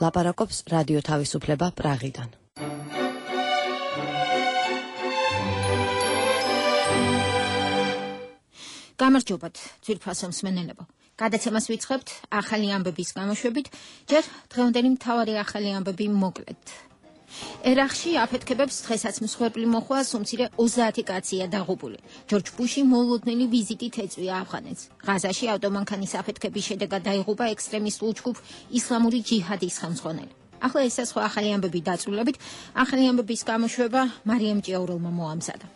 ლაპარაკობს რადიო თავისუფლება პრაღიდან. გამარჯობათ, ძვირფასო მსმენელებო. გადაცემას ვიწყებთ ახალი ამბების გამოშვებით, ჯერ დღევანდელი მთავარი ახალი ამბები მოკლედ. ერაყში აფეთქებებს დღესაც მსხვერპლი მოხვა სუმცირე 30 კაცია დაღუპული. ჯორჯ ბუში მოულოდნელი ვიზიტით ეწვია ავღანეთს. ღაზაში ავტომანქანის აფეთქების შედეგად დაიღუპა ექსტრემისტულ ჯგუფ ისლამური ჯიჰადის ხელმძღვანელი. ახლა ეს სხვა ახალი ამბები დაწვრილებით, ახალი ამბების გამოშვება მარიამ ჭიაურელმა მოამზადა.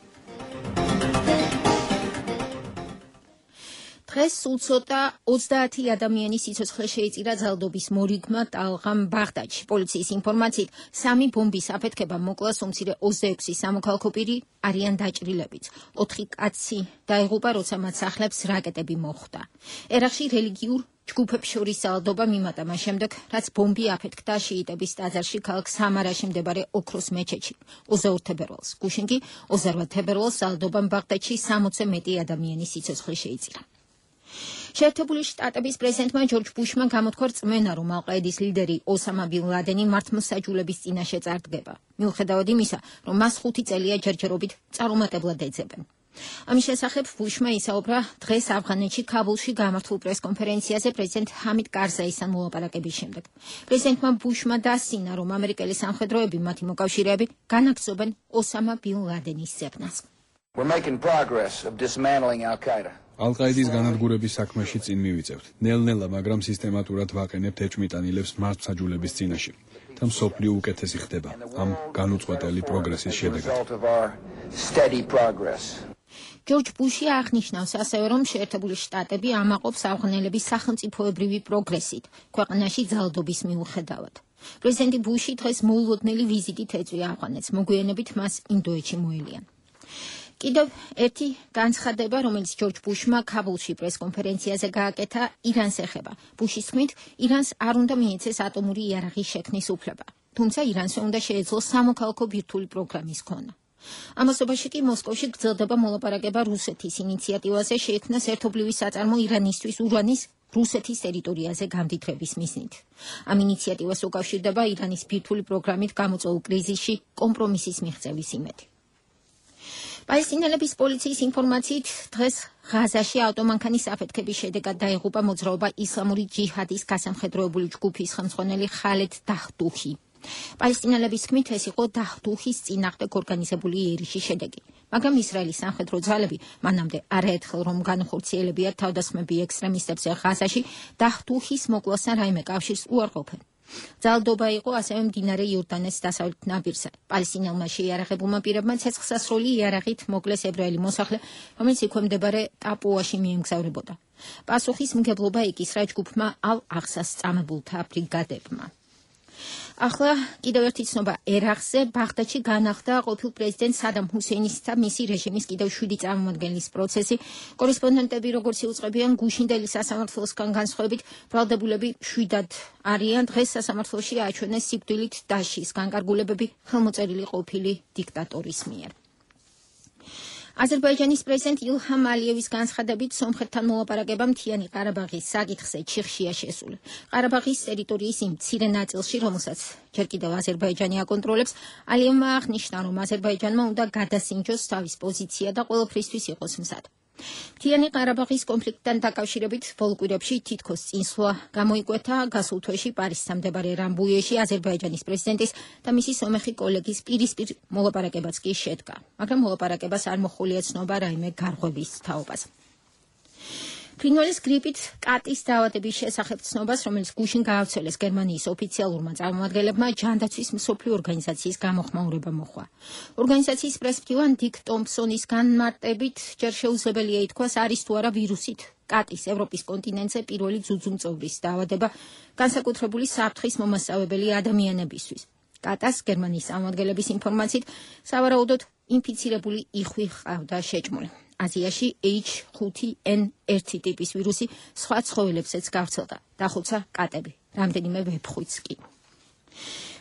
დღეს სულ ცოტა 30 ადამიანის სიცოცხლე შეიწირა ძალადობის მორიგმა ტალღამ ბაღდადში. პოლიციის ინფორმაციით, 3 ბომბის აფეთქება მოკლა სუმცირე 26 სამოქალაქო პირი არიან დაჭრილებიც. 4 კაცი დაიღუპა, როცა მათ სახლებს რაკეტები მოხვდა. ერაყში რელიგიურ ჯგუფებს შორის ძალადობა მიმატა მას შემდეგ, რაც ბომბი აფეთქდა შიიტების ტაძარში ქალაქ სამარაში მდებარე ოქროს მეჩეთში 21 თებერვალს. გუშინ კი 28 თებერვალს ძალადობამ ბაღდადში 60-ზე მეტი ადამიანის სიცოცხლე შეიწირა. შეერთებული შტატების პრეზიდენტმა ჯორჯ ბუშმა გამოთქვა რწმენა, რომ ალ-ყაედის ლიდერი ოსამა ბინ ლადენი მართლმსაჯულების წინაშე წარდგება. მიუხედავად იმისა, რომ მას 5 წელია ჯერჯერობით წარუმატებლად ეძებენ. ამის შესახებ ბუშმა ისაუბრა დღეს ავღანეთში ქაბულში გამართულ პრესკონფერენციაზე პრეზიდენტ ჰამიდ კარზაისთან მოლაპარაკების შემდეგ. პრეზიდენტმა ბუშმა დასცინა, რომ ამერიკელი სამხედროები მათი მოკავშირეები განაგრძობენ ოსამა ბინ ლადენის ძებნას. We're making progress of dismantling Al-Qaeda. ალ-ყაედის განადგურების საქმეში წინ მივიწევთ. ნელ-ნელა, მაგრამ სისტემატურად ვაყენებთ ეჭვმიტანილებს მართლმსაჯულების წინაშე. და მსოფლიო უკეთესი ხდება ამ განუწყვეტელი პროგრესის შედეგად. ჯორჯ ბუში აღნიშნავს ასევე, რომ შეერთებული შტატები ამაყობს ავღანელების სახელმწიფოებრივი პროგრესით ქვეყანაში ძალადობის მიუხედავად. პრეზიდენტი ბუში დღეს მოულოდნელი ვიზიტით ეწვია ავღანეთს, მოგვიანებით მას ინდოეთში მოელიან. კიდევ ერთი განცხადება, რომელიც ჯორჯ ბუშმა ქაბულში პრესკონფერენციაზე გააკეთა, ირანს ეხება. ბუშის თქმით, ირანს არ უნდა მიეცეს ატომური იარაღის შექმნის უფლება. თუმცა ირანს უნდა შეეძლოს სამოქალაქო ბირთვული პროგრამის ქონა. ამასობაში კი მოსკოვში გრძელდება მოლაპარაკება რუსეთის ინიციატივაზე შეექმნას ერთობლივი საწარმო ირანისთვის ურანის რუსეთის ტერიტორიაზე გამდიდრების მიზნით. ამ ინიციატივას უკავშირდება ირანის ბირთვული პროგრამით გამოწვეულ კრიზისში კომპრომისის მიღწევის იმედი. პალესტინელების პოლიციის ინფორმაციით, დღეს ღაზაში ავტომანქანის აფეთქების შედეგად დაიღუპა მოძრაობა ისლამური ჯიჰადის გასამხედროებული ჯგუფის ხელმძღვანელი ხალედ დაჰდუჰი. პალესტინელების თქმით, ეს იყო დაჰდუჰის წინააღმდეგ ორგანიზებული იერიშის შედეგი, მაგრამ ისრაელის სამხედრო ძალები მანამდე არაერთხელ რომ განხორციელებიათ თავდასხმები ექსტრემისტებზე ღაზაში, დაჰდუჰის მოკლასთან რაიმე კავშირს უარყოფენ. ძალადობა იყო ასევე მდინარე იორდანეს დასავლეთ ნაპირზე. პალესტინელმა შეიარაღებულმა პირებმა ცეცხლსასროლი იარაღით მოკლეს ებრაელი მოსახლე, რომელიც იქვე მდებარე ტაპუაში მიემგზავრებოდა. პასუხისმგებლობა ეკისრა ჯგუფმა ალ-აღსას წამებულთა ბრიგადებმა. ახლა კიდევ ერთი ცნობა ერაყზე. ბაღდადში განახლდა ყოფილ პრეზიდენტ სადამ ჰუსეინის და მისი რეჟიმის კიდევ 7 წარმომადგენლის პროცესი. კორესპონდენტები, როგორც იუწყებიან, გუშინდელი სასამართლოსგან განსხვავებით, ბრალდებულები 7 არიან. დღეს სასამართლოში აჩვენეს სიკვდილით დასჯის განკარგულებები ხელმოწერილი ყოფილი დიქტატორის მიერ. აზერბაიჯანის პრეზიდენტ ილჰამ ალიევის განცხადებით, სომხეთთან მოლაპარაკება მთიანი ყარაბაღის საკითხზე ჩიხშია შესული. ყარაბაღის ტერიტორიის იმ მცირე ნაწილში, რომელსაც ჯერ კიდევ აზერბაიჯანი აკონტროლებს, ალიევმა აღნიშნა, რომ აზერბაიჯანმა უნდა გადასინჯოს თავის პოზიცია და ყველაფრისთვის იყოს მზად. მთიანი ყარაბაღის კონფლიქტთან დაკავშირებით ბოლო კვირებში თითქოს წინსვლა გამოიკვეთა გასულ თვეში პარიზსა მდებარე რამბუიეში აზერბაიჯანის პრეზიდენტის და მისი სომეხი კოლეგის პირისპირ მოლაპარაკებაც კი შედგა, მაგრამ მოლაპარაკებას არ მოჰყოლია ცნობა რაიმე გარღვევის თაობაზე. ფრინველის გრიპით კატის დაავადების შესახებ ცნობას, რომელიც გუშინ გაავრცელეს გერმანიის ოფიციალურმა წარმომადგენლებმა, ჯანდაცვის მსოფლიო ორგანიზაციის გამოხმაურება მოჰყვა. ორგანიზაციის პრესმფრთოვან დიკ ტომპსონის განმარტებით, ჯერ შეუძლებელია ითქვას, არის თუ არა ვირუსით კატის ევროპის კონტინენტზე პირველი ძუძუმწოვრის დაავადება, განსაკუთრებული საფრთხის მომასწავებელი ადამიანებისთვის. კატას გერმანიის წარმომადგენლების ინფორმაციით, სავარაუდოდ ინფიცირებული იხვი ჰყავდა შეჭმული. აზიაში H5N1 ტიპის ვირუსი სხვა ცხოველებსაც გავრცელდა. დახოცა კატები, რამდენიმე ვეფხვიც კი.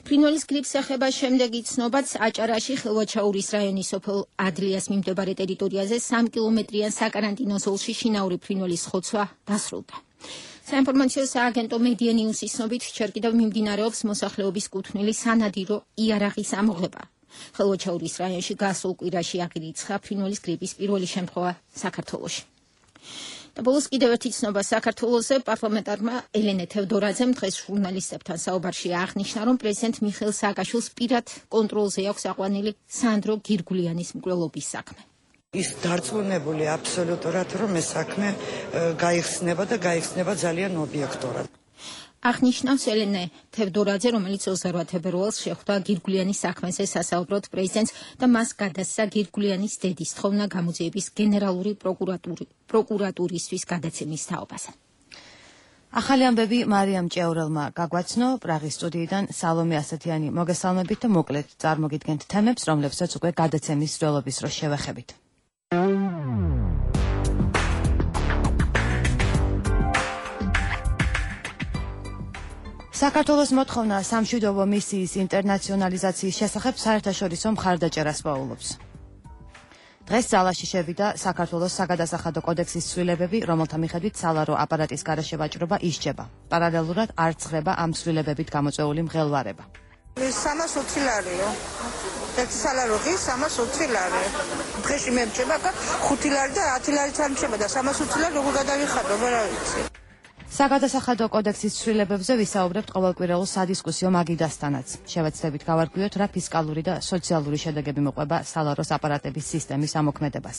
ფრინველის გრიპს ეხება შემდეგი ცნობაც აჭარაში ხილვაჩაურის რაიონის სოფელ ადლიას მიმდებარე ტერიტორიაზე 3 კილომეტრიან საკარანტინო ზოლში შინაური ფრინველის ხოცვა დასრულდა. საინფორმაციო სააგენტო მედია ნიუსის ცნობით ჯერ კიდევ მიმდინარეობს მოსახლეობის კუთვნილი სანადირო იარაღის ამოღება. ხელვაჩაურის რაიონში გასულ კვირაში აღირიცხა ფრინველის გრიპის პირველი შემთხვევა საქართველოში. და ბოლოს კიდევ ერთი ცნობა საქართველოზე პარლამენტარმა ელენე თევდორაძემ დღეს ჟურნალისტებთან საუბარში აღნიშნა, რომ პრეზიდენტ მიხეილ სააკაშვილს პირად კონტროლზე აქვს აყვანილი სანდრო გირგულიანის მკვლელობის საქმე. ის დარწმუნებული აბსოლუტურად, რომ ეს საქმე გაიხსნება და გაიხსნება ძალიან ობიექტურად. აღნიშნავს ელენე თევდორაძე, რომელიც 28 თებერვალს შეხვდა გირგულიანის საქმეზე სასაუბროდ პრეზიდენტს და მას გადასცა გირგულიანის დედის თხოვნა გამოძიების გენერალური პროკურატურისთვის გადაცემის თაობაზე. ახალი ამბები მარიამ ჭეურელმა გაგვაცნო პრაღის სტუდიიდან სალომე ასათიანი მოგესალმებით და მოკლედ წარმოგიდგენთ თემებს, რომლებსაც უკვე გადაცემის მსვლელობის დროს შევეხებით. საქართველოს მოთხოვნა სამშვიდობო მისიის ინტერნაციონალიზაციის შესახებ საერთაშორისო მხარდაჭერას პაულობს. დღეს ძალაში შევიდა საქართველოს საგადასახადო კოდექსის ცვლილებები, რომელთა მიხედვით სალარო აპარატის გარეშე ვაჭრობა ისჯება. პარალელურად არ ცხრება ამ ცვლილებებით გამოწვეული მღელვარება. 320 ლარიო. ერთი სალარო ღირს 320 ლარი. დღეში მე მჭება 5 ლარი და 10 ლარიც არ მჭება და 320 ლარი როგორ გადავიხადო, ვერ ვიცი. საგადასახადო კოდექსის ცვლილებებზე ვისაუბრებთ ყოველკვირეულ სადისკუსიო მაგიდასთანაც. შევეცდებით გავარკვიოთ, რა ფისკალური და სოციალური შედეგები მოყვება სალაროს აპარატების სისტემის ამოქმედებას.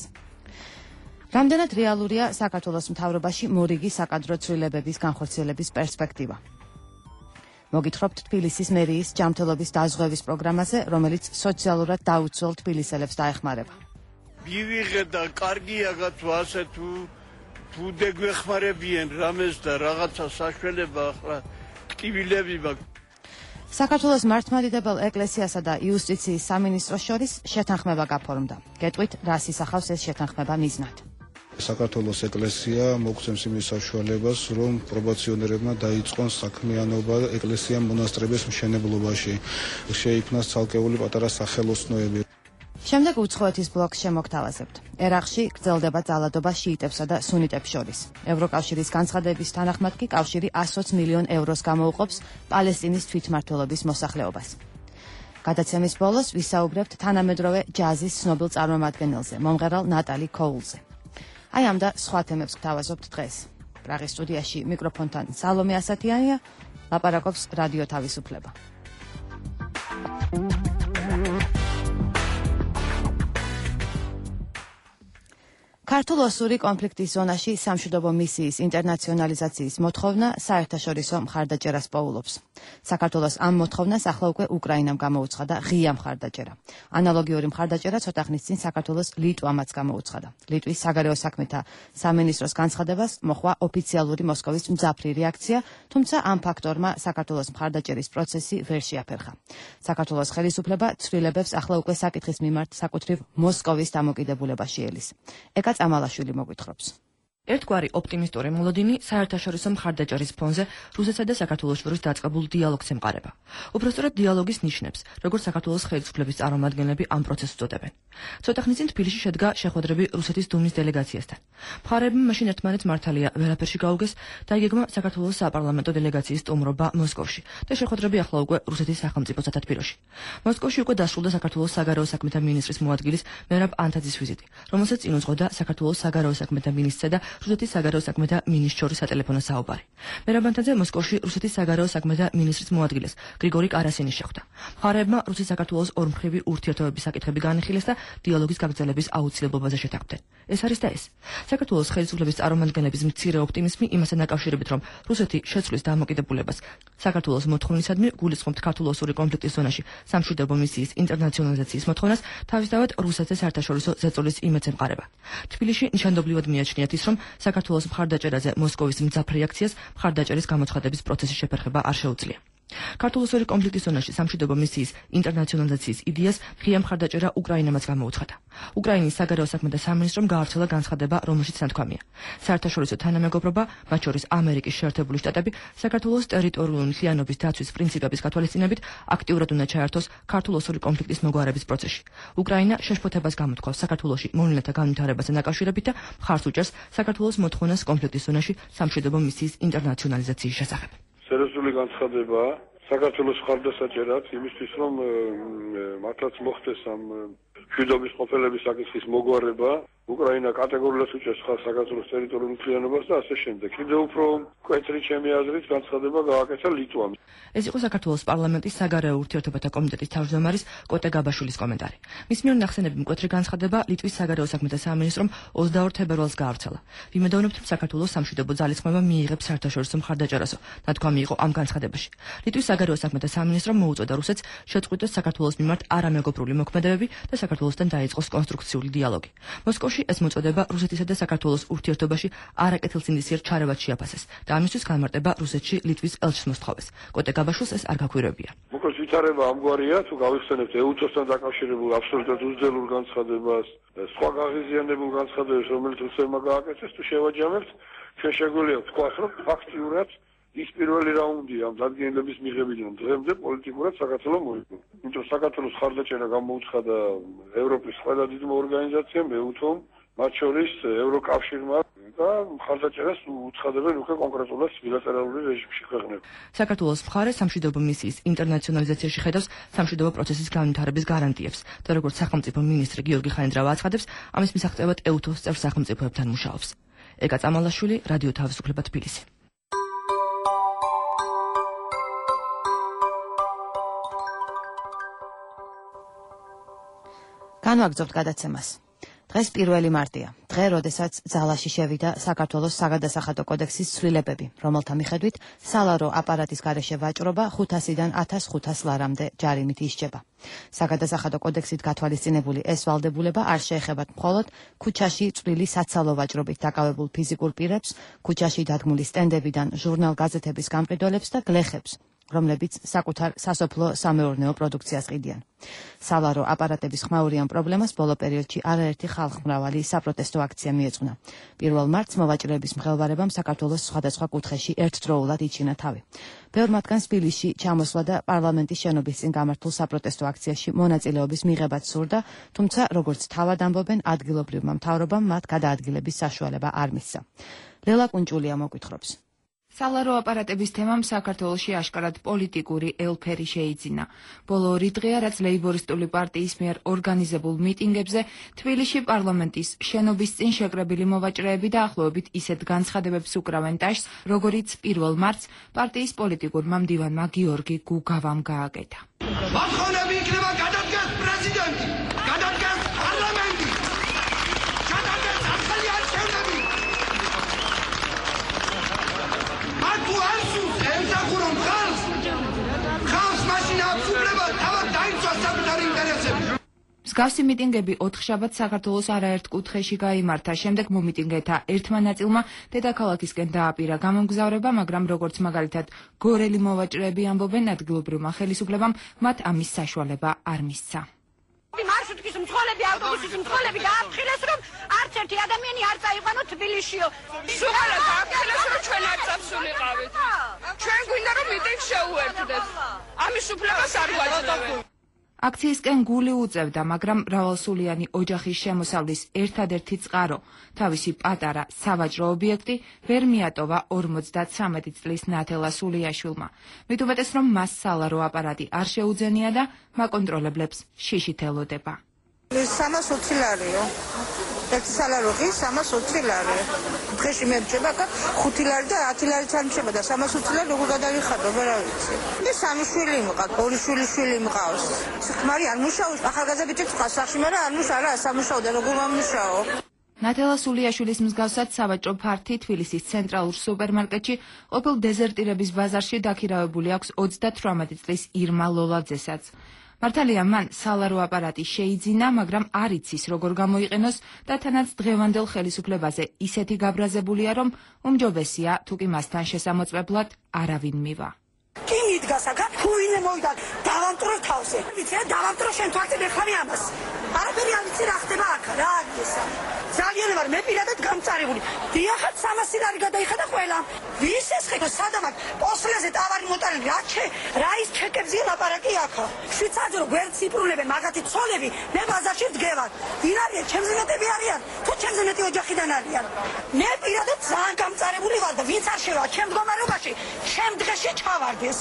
რამდენად რეალურია საქართველოს მთავრობაში მორიგი საკადრო ცვლილებების განხორციელების პერსპექტივა. მოგითხრობთ თბილისის მერიის ჯანმრთელობის დაზღვევის პროგრამაზე, რომელიც სოციალურად დაუცველ თბილისელებს დაეხმარება. მივიღე და კარგია გათო ასე თუ დეგვეხმარებიან რამეს და რაღაცა საშუალება ახლა ტკივილები მაქვს. საქართველოს მართლმადიდებელ ეკლესიასა და იუსტიციის სამინისტროს შორის შეთანხმება გაფორმდა. გეტყვით, რას ისახავს ეს შეთანხმება მიზნად. საქართველოს ეკლესია მოგცემს იმის საშუალებას, რომ პრობაციონერებმა დაიწყონ საქმიანობა ეკლესია მონასტრების მშენებლობაში. შეიქმნას ცალკეული პატარა სახელოსნოები. შემდეგ უცხოეთის ბლოკს შემოგთავაზებთ. ერაყში გრძელდება ძალადობა შიიტებსა და სუნიტებს შორის. ევროკავშირის განცხადების თანახმად კი კავშირი 120 მილიონ ევროს გამოუყოფს პალესტინის თვითმმართველობის მოსახლეობას. გადაცემის ბოლოს ვისაუბრებთ თანამედროვე ჯაზის ცნობილ წარმომადგენელზე, მომღერალ ნატალი კოულზე. აი ამ და სხვა თემებს გთავაზობთ დღეს. პრაღის სტუდიაში მიკროფონთან სალომე ასათიანია, ლაპარაკობს რადიო თავისუფლება. ქართულ-ოსური კონფლიქტის ზონაში სამშვიდობო მისიის ინტერნაციონალიზაციის მოთხოვნა საერთაშორისო მხარდაჭერას პაულობს. საქართველოს ამ მოთხოვნას ახლა უკვე უკრაინამ გამოუცხადა ღია მხარდაჭერა. ანალოგიური მხარდაჭერა ცოტა ხნის წინ საქართველოს ლიტვამაც გამოუცხადა. ლიტვის საგარეო საქმეთა სამინისტროს განცხადებას მოჰყვა ოფიციალური მოსკოვის მძაფრი რეაქცია, თუმცა ამ ფაქტორმა საქართველოს მხარდაჭერის პროცესი ვერ შეაფერხა. საქართველოს ხელისუფლება ცვლილებებს ახლა უკვე საკითხის მიმართ საკუთრივ მოსკოვის დამოკიდებულებაში ელის. ამალაშვილი მოგვითხრობს. ერთგვარი ოპტიმისტური მოლოდინი საერთაშორისო მხარდაჭერის ფონზე რუსეთსა და საქართველოს შორის დაწყებულ დიალოგს ემყარება. უბრალოდ დიალოგის ნიშნებს, როგორც საქართველოს ხელისუფლების წარმომადგენლები ამ პროცესს უწოდებენ. ცოტა ხნის წინ თბილისში შედგა შეხვედრები რუსეთის დუმის დელეგაციასთან. მხარეებმა მაშინ ერთმანეთს მართალია ვერაფერში გაუგეს და იგეგმა საქართველოს საპარლამენტო დელეგაციის სტუმრობა მოსკოვში და შეხვედრები ახლა უკვე რუსეთის სახელმწიფო სათათბიროში. მოსკოვში უკვე დასრულდა საქართველოს საგარეო საქმეთა მინისტრის მოადგილის მერაბ ანთაძის ვიზიტი, რომელსაც წინ უძღვოდა საქართველოს საგარეო საქმეთა მინისტრსა და რუსეთის საგარეო საქმეთა მინისტრს შორის სატელეფონო საუბარი. მერაბ ანთაძე მოსკოვში რუსეთის საგარეო საქმეთა მინისტრის მოადგილეს გრიგორი კარასინის შეხვდა. მხარეებმა რუსეთის საქართველოს ორმხრივი ურთიერთობების საკითხები განიხილეს და დიალოგის გაგრძელების აუცილებლობაზე შეთანხმდნენ. ეს არის და ეს. საქართველოს ხელისუფლების წარმომადგენლების მცირე ოპტიმიზმი იმასთან დაკავშირებით, რომ რუსეთი შეცვლის დამოკიდებულებას საქართველოს მოთხოვნისადმი გულისხმობთ ქართულ-ოსური კონფლიქტის ზონაში სამშვიდობო მისიის ინტერნაციონალიზაციის მოთხოვნას, თავისთავად რუსეთზე საერთაშორისო ზეწოლის იმედს ემყარება. თბილისში ნიშანდობლივად მიაჩნიათ ის, რომ საქართველოს მხარდაჭერაზე მოსკოვის მძაფრ რეაქციას მხარდაჭერის გამოცხადების პროცესის შეფერხება არ შეუძლია. ქართულ-ოსური კონფლიქტის ზონაში სამშვიდობო მისიის ინტერნაციონალიზაციის იდეას ღია მხარდაჭერა უკრაინამაც გამოუცხადა. უკრაინის საგარეო საქმეთა სამინისტრომ გაავრცელა განცხადება, რომელშიც ნათქვამია: საერთაშორისო თანამეგობრობა, მათ შორის ამერიკის შეერთებული შტატები, საქართველოს ტერიტორიული მთლიანობის დაცვის პრინციპების გათვალისწინებით აქტიურად უნდა ჩაერთოს ქართულ-ოსური კონფლიქტის მოგვარების პროცესში. უკრაინა შეშფოთებას გამოთქვავს საქართველოში მოვლენათა განვითარებასთან დაკავშირებით და მხარს უჭერს საქართველოს მოთხოვნას კონფლიქტის ზონაში სამშვიდობო მისიის ინტერნაციონალიზაციის შესახებ. სერიოზული განცხადება საქართველოს მხარდასაჭერად იმისთვის, რომ მართლაც მოხდეს ამ მშვიდობის ყოფილების საკითხის მოგვარება, უკრაინა კატეგორიულად უჭერს ხალხს საქართველოს ტერიტორიულ მთლიანობას და ასე შემდეგ. კიდევ უფრო მკვეთრი ჩემი აზრით განცხადება გააკეთა ლიტვამ. ეს იყო საქართველოს პარლამენტის საგარეო ურთიერთობათა კომიტეტის თავმჯდომარის კოტე გაბაშვილის კომენტარი. მის მიერ ნახსენები მკვეთრი განცხადება ლიტვის საგარეო საქმეთა სამინისტრომ 22 თებერვალს გაავრცელა. ვიმედოვნებთ, რომ საქართველოს სამშვიდობო ძალისხმევა მიიღებს საერთაშორისო მხარდაჭერასო, ნათქვამი იყო ამ განცხადებაში. ლიტვის საგარეო საქმეთა სამინისტრომ მოუწოდა რუსეთს შეწყვიტოს საქართველოს მიმართ არამეგობრული მოქმედებები და საქართველოსთან დაიწყოს კონსტრუქციული დიალოგი. მოსკოვში ეს მოწოდება რუსეთისა და საქართველოს ურთიერთობაში არაკეთილსინდისიერ ჩარევად შეაფასეს და ამისთვის განმარტება რუსეთში ლიტვის ელჩის მოსთხოვეს. კოტე გაბაშვილს ეს არ გაქვირებია. მოკლედ ვითარება ამგვარია, თუ გავიხსენებთ ეუთოსთან დაკავშირებულ აბსოლუტურად უძველურ განცხადებას, სხვა გაღიზიანებულ განცხადებებს, რომელიც რუსებმა გააკეთეს, თუ შევაჯამებთ, ჩვენ შეგვიძლია ვთქვათ, რომ ფაქტიურად ის პირველი რაუნდი ამ დადგენილების მიღებიდან დღემდე პოლიტიკურად საქართველოს მოიგო. იმიტომ საქართველოს მხარდაჭერა გამოუცხადა ევროპის ყველა დიდმა ორგანიზაციამ, ეუთომ, მათ შორის ევროკავშირმა და მხარდაჭერას უცხადებენ უკვე კონკრეტულად ბილატერალური რეჟიმში ქვეყნები. საქართველოს მხარე სამშვიდობო მისიის ინტერნაციონალიზაციაში ხედავს სამშვიდობო პროცესის განვითარების გარანტიებს და როგორც სახელმწიფო მინისტრი გიორგი ხაინდრავა აცხადებს, ამის მისაღწევად ეუთოს წევრ სახელმწიფოებთან მუშაობს. ეკა წამალაშვილი, რადიო თავისუფლება, თბილისი. განვაგრძობთ გადაცემას. დღეს 1 მარტია, დღე, როდესაც ძალაში შევიდა საქართველოს საგადასახადო კოდექსის ცვლილებები, რომელთა მიხედვით სალარო აპარატის გარეშე ვაჭრობა 500-დან 1500 ლარამდე ჯარიმით ისჯება. საგადასახადო კოდექსით გათვალისწინებული ეს ვალდებულება არ შეეხებათ მხოლოდ ქუჩაში წვრილი საცალო ვაჭრობით დაკავებულ ფიზიკურ პირებს, ქუჩაში დადგმული სტენდებიდან ჟურნალ-გაზეთების გამყიდველებს და გლეხებს, რომლებიც საკუთარ სასოფლო სამეურნეო პროდუქციას ყიდიან. სალარო აპარატების ხმაურიან პრობლემას ბოლო პერიოდში არაერთი ხალხმრავალი საპროტესტო აქცია მიეძღვნა. 1 მარტს მოვაჭრეების მღელვარებამ საქართველოს სხვადასხვა კუთხეში ერთდროულად იჩინა თავი. ბევრ მათგანს თბილისში ჩამოსვლა და პარლამენტის შენობის წინ გამართულ საპროტესტო აქციაში მონაწილეობის მიღებაც სურდა, თუმცა როგორც თავად ამბობენ, ადგილობრივმა მთავრობამ მათ გადაადგილების საშუალება არ მისცა. ლელა კუნჭულია მოგვითხრობს. სალარო აპარატების თემამ საქართველოში აშკარად პოლიტიკური ელფერი შეიძინა. ბოლო 2 დღეა, რაც ლეიბორისტული პარტიის მიერ ორგანიზებულ მიტინგებზე თბილისში პარლამენტის შენობის წინ შეკრებილი მოვაჭრეები დაახლოებით ისეთ განცხადებებს უკრავენ ტაშს, როგორიც 1 მარტს პარტიის პოლიტიკურმა მდივანმა გიორგი გუგავამ გააკეთა. მოთხოვნები იქნება გადადგეს პრეზიდენტი, გადადგეს პარლამენტი, გადადგეს ახალი არჩევნები. თუ ასუს ემსახურონ ხალხს მაშინ აქვს უფლება თავად დაიცვას საკუთარი ინტერესები. მსგავსი მიტინგები 4 შაბათს საქართველოს არაერთ კუთხეში გაიმართა. შემდეგ მომიტინგეთა ერთმა ნაწილმა დედაქალაქისკენ დააპირა გამომგზავრება, მაგრამ როგორც მაგალითად გორელი მოვაჭრეები ამბობენ, ადგილობრივმა ხელისუფლებამ მათ ამის საშუალება არ მისცა. მარშრუტის მძღოლები, ავტობუსის მძღოლები დააფრთხილეს, რომ არც ერთი ადამიანი არ წაიყვანო თბილისშიო. სულ დააფრთხილეს, რომ ჩვენ არ წავსულიყავით. ჩვენ გვინდა რომ მიტინგს შეუერთდეთ. ამის უფლებას არ გვაძლევენ. აქციისკენ გული უწევდა, მაგრამ მრავალსულიანი ოჯახის შემოსავლის ერთადერთი წყარო, თავისი პატარა სავაჭრო ობიექტი ვერ მიატოვა 53 წლის ნათელა სულიაშვილმა. მით უმეტეს, რომ მას სალარო აპარატი არ შეუძენია და მაკონტროლებლებს შიშით ელოდება. 320 ლარიო. ერთი სალაროღი 320 ლარი. დღეში მე მჭება 5 ლარი და 10 ლარიც არ მჭება და 320 ლარი როგორ გადავიხადო, რა ვიცი. მე 3 შვილი მყავს, 2 შვილი მყავს. ხმარი არ მუშაობს, ახალგაზრდა ბიჭი ყავს სახში, მაგრამ არ მუშაობს, რა სამუშაო და როგორ მომუშაო. ნათელა სულიაშვილის მსგავსად სავაჭრო ფართი თბილისის ცენტრალურ სუპერმარკეტში ყოფილ დეზერტირების ბაზარში დაქირავებული აქვს 38 წლის ირმა ლოლაძესაც. მართალია, მან სალარო აპარატი შეიძინა, მაგრამ არ იცის როგორ გამოიყენოს და თანაც დღევანდელ ხელისუფლებაზე ისეთი გაბრაზებულია, რომ უმჯობესია თუ კი მასთან შესამოწმებლად არავინ მივა. კი მიდგა გასაგებ თუ ვინმე მოვიდა დავამტრო თავზე ვიცი დავამტრო შენ თვალზე მეხარი ამას არაფერი არ ვიცი რა ხდება აქ რა არის ეს ძალიან ვარ მე პირადად გამწარებული დიახაც 300 ლარი გადაიხადა ყველა ვის ეს ხება სადამაკ პოსლეზე ტავარი მოტანილი რა ის ჩეკებზე ლაპარაკი აქა შვიცარზე რო გვერდს იპრულებენ მაგათი ცოლები მე ბაზარში ვდგევარ ვინ არიან ჩემზე მეტები არიან თუ ჩემზე მეტი ოჯახიდან არიან მე პირადად ძალიან გამწარებული ვარ და ვინც არ შევა ჩემ მდგომარეობაში ჩემ დღეში ჩავარდეს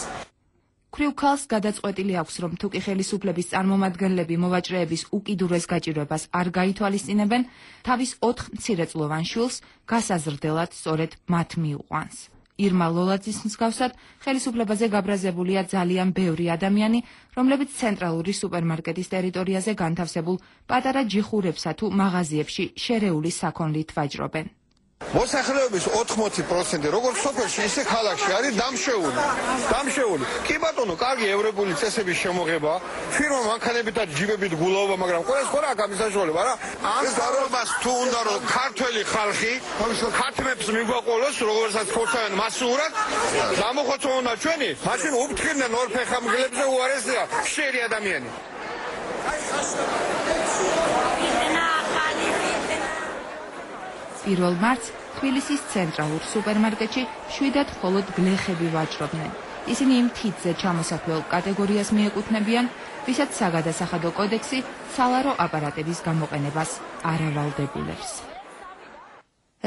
ქვრივ ქალს გადაწყვეტილი აქვს, რომ თუ კი ხელისუფლების წარმომადგენლები მოვაჭრეების უკიდურეს გაჭირვებას არ გაითვალისწინებენ, თავის 4 მცირეწლოვან შვილს გასაზრდელად სწორედ მათ მიუყვანს. ირმა ლოლაძის მსგავსად ხელისუფლებაზე გაბრაზებულია ძალიან ბევრი ადამიანი, რომლებიც ცენტრალური სუპერმარკეტის ტერიტორიაზე განთავსებულ პატარა ჯიხურებსა თუ მაღაზიებში შერეული საქონლით ვაჭრობენ. მოსახლეობის 80% როგორც სოფელში, ისე ქალაქში არის დამშეული. კი ბატონო, კარგი ევროპული წესების შემოღება, ფირმა მანქანებითა ჯიბებით გულაობა, მაგრამ ყველას ხო რა გამის საშუალება რა? ამ გარობას თუ უნდა რომ ქართველი ხალხი ქათმებს მიგვაყოლოს, როგორცაც ხორცავენ მასურად, გამოხოცოვნა ჩვენი, მაშინ უფრთხილდნენ ორ ფეხამგლებზე უარესია ხშირი ადამიანი. 1 მარტს თბილისის ცენტრალურ სუპერმარკეტში 7 მხოლოდ გლეხები ვაჭრობდნენ. ისინი იმ თითზე ჩამოსაქმნელ კატეგორიას მიეკუთვნებიან, ვისაც საგადასახადო კოდექსი სალარო აპარატების გამოყენებას არ ავალდებულებს.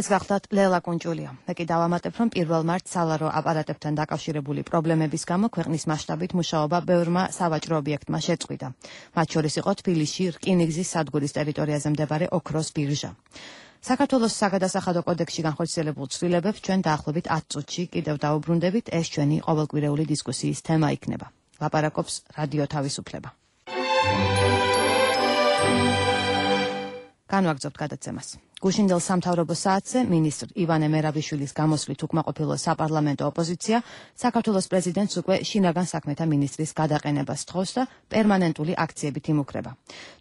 ეს გახლავთ ლელა კუნჭულია. მე კი დავამატებ, რომ 1 მარტს სალარო აპარატებთან დაკავშირებული პრობლემების გამო ქვეყნის მასშტაბით მუშაობა ბევრმა სავაჭრო ობიექტმა შეწყვიტა. მათ შორის იყო თბილისში რკინიგზის სადგურის ტერიტორიაზე მდებარე ოქროს ბირჟა. საქართველოს საგადასახადო კოდექსში განხორციელებულ ცვლილებებს ჩვენ დაახლოებით 10 წუთში კიდევ დავუბრუნდებით, ეს ჩვენი ყოველკვირეული დისკუსიის თემა იქნება. ლაპარაკობს რადიო თავისუფლება. განვაგრძობთ გადაცემას. გუშინდელ სამთავრობო საათზე მინისტრ ივანე მერაბიშვილის გამოსვლით უკმაყოფილო საპარლამენტო ოპოზიცია საქართველოს პრეზიდენტს უკვე შინაგან საქმეთა მინისტრის გადაყენებას თხოვს და პერმანენტული აქციებით იმუქრება.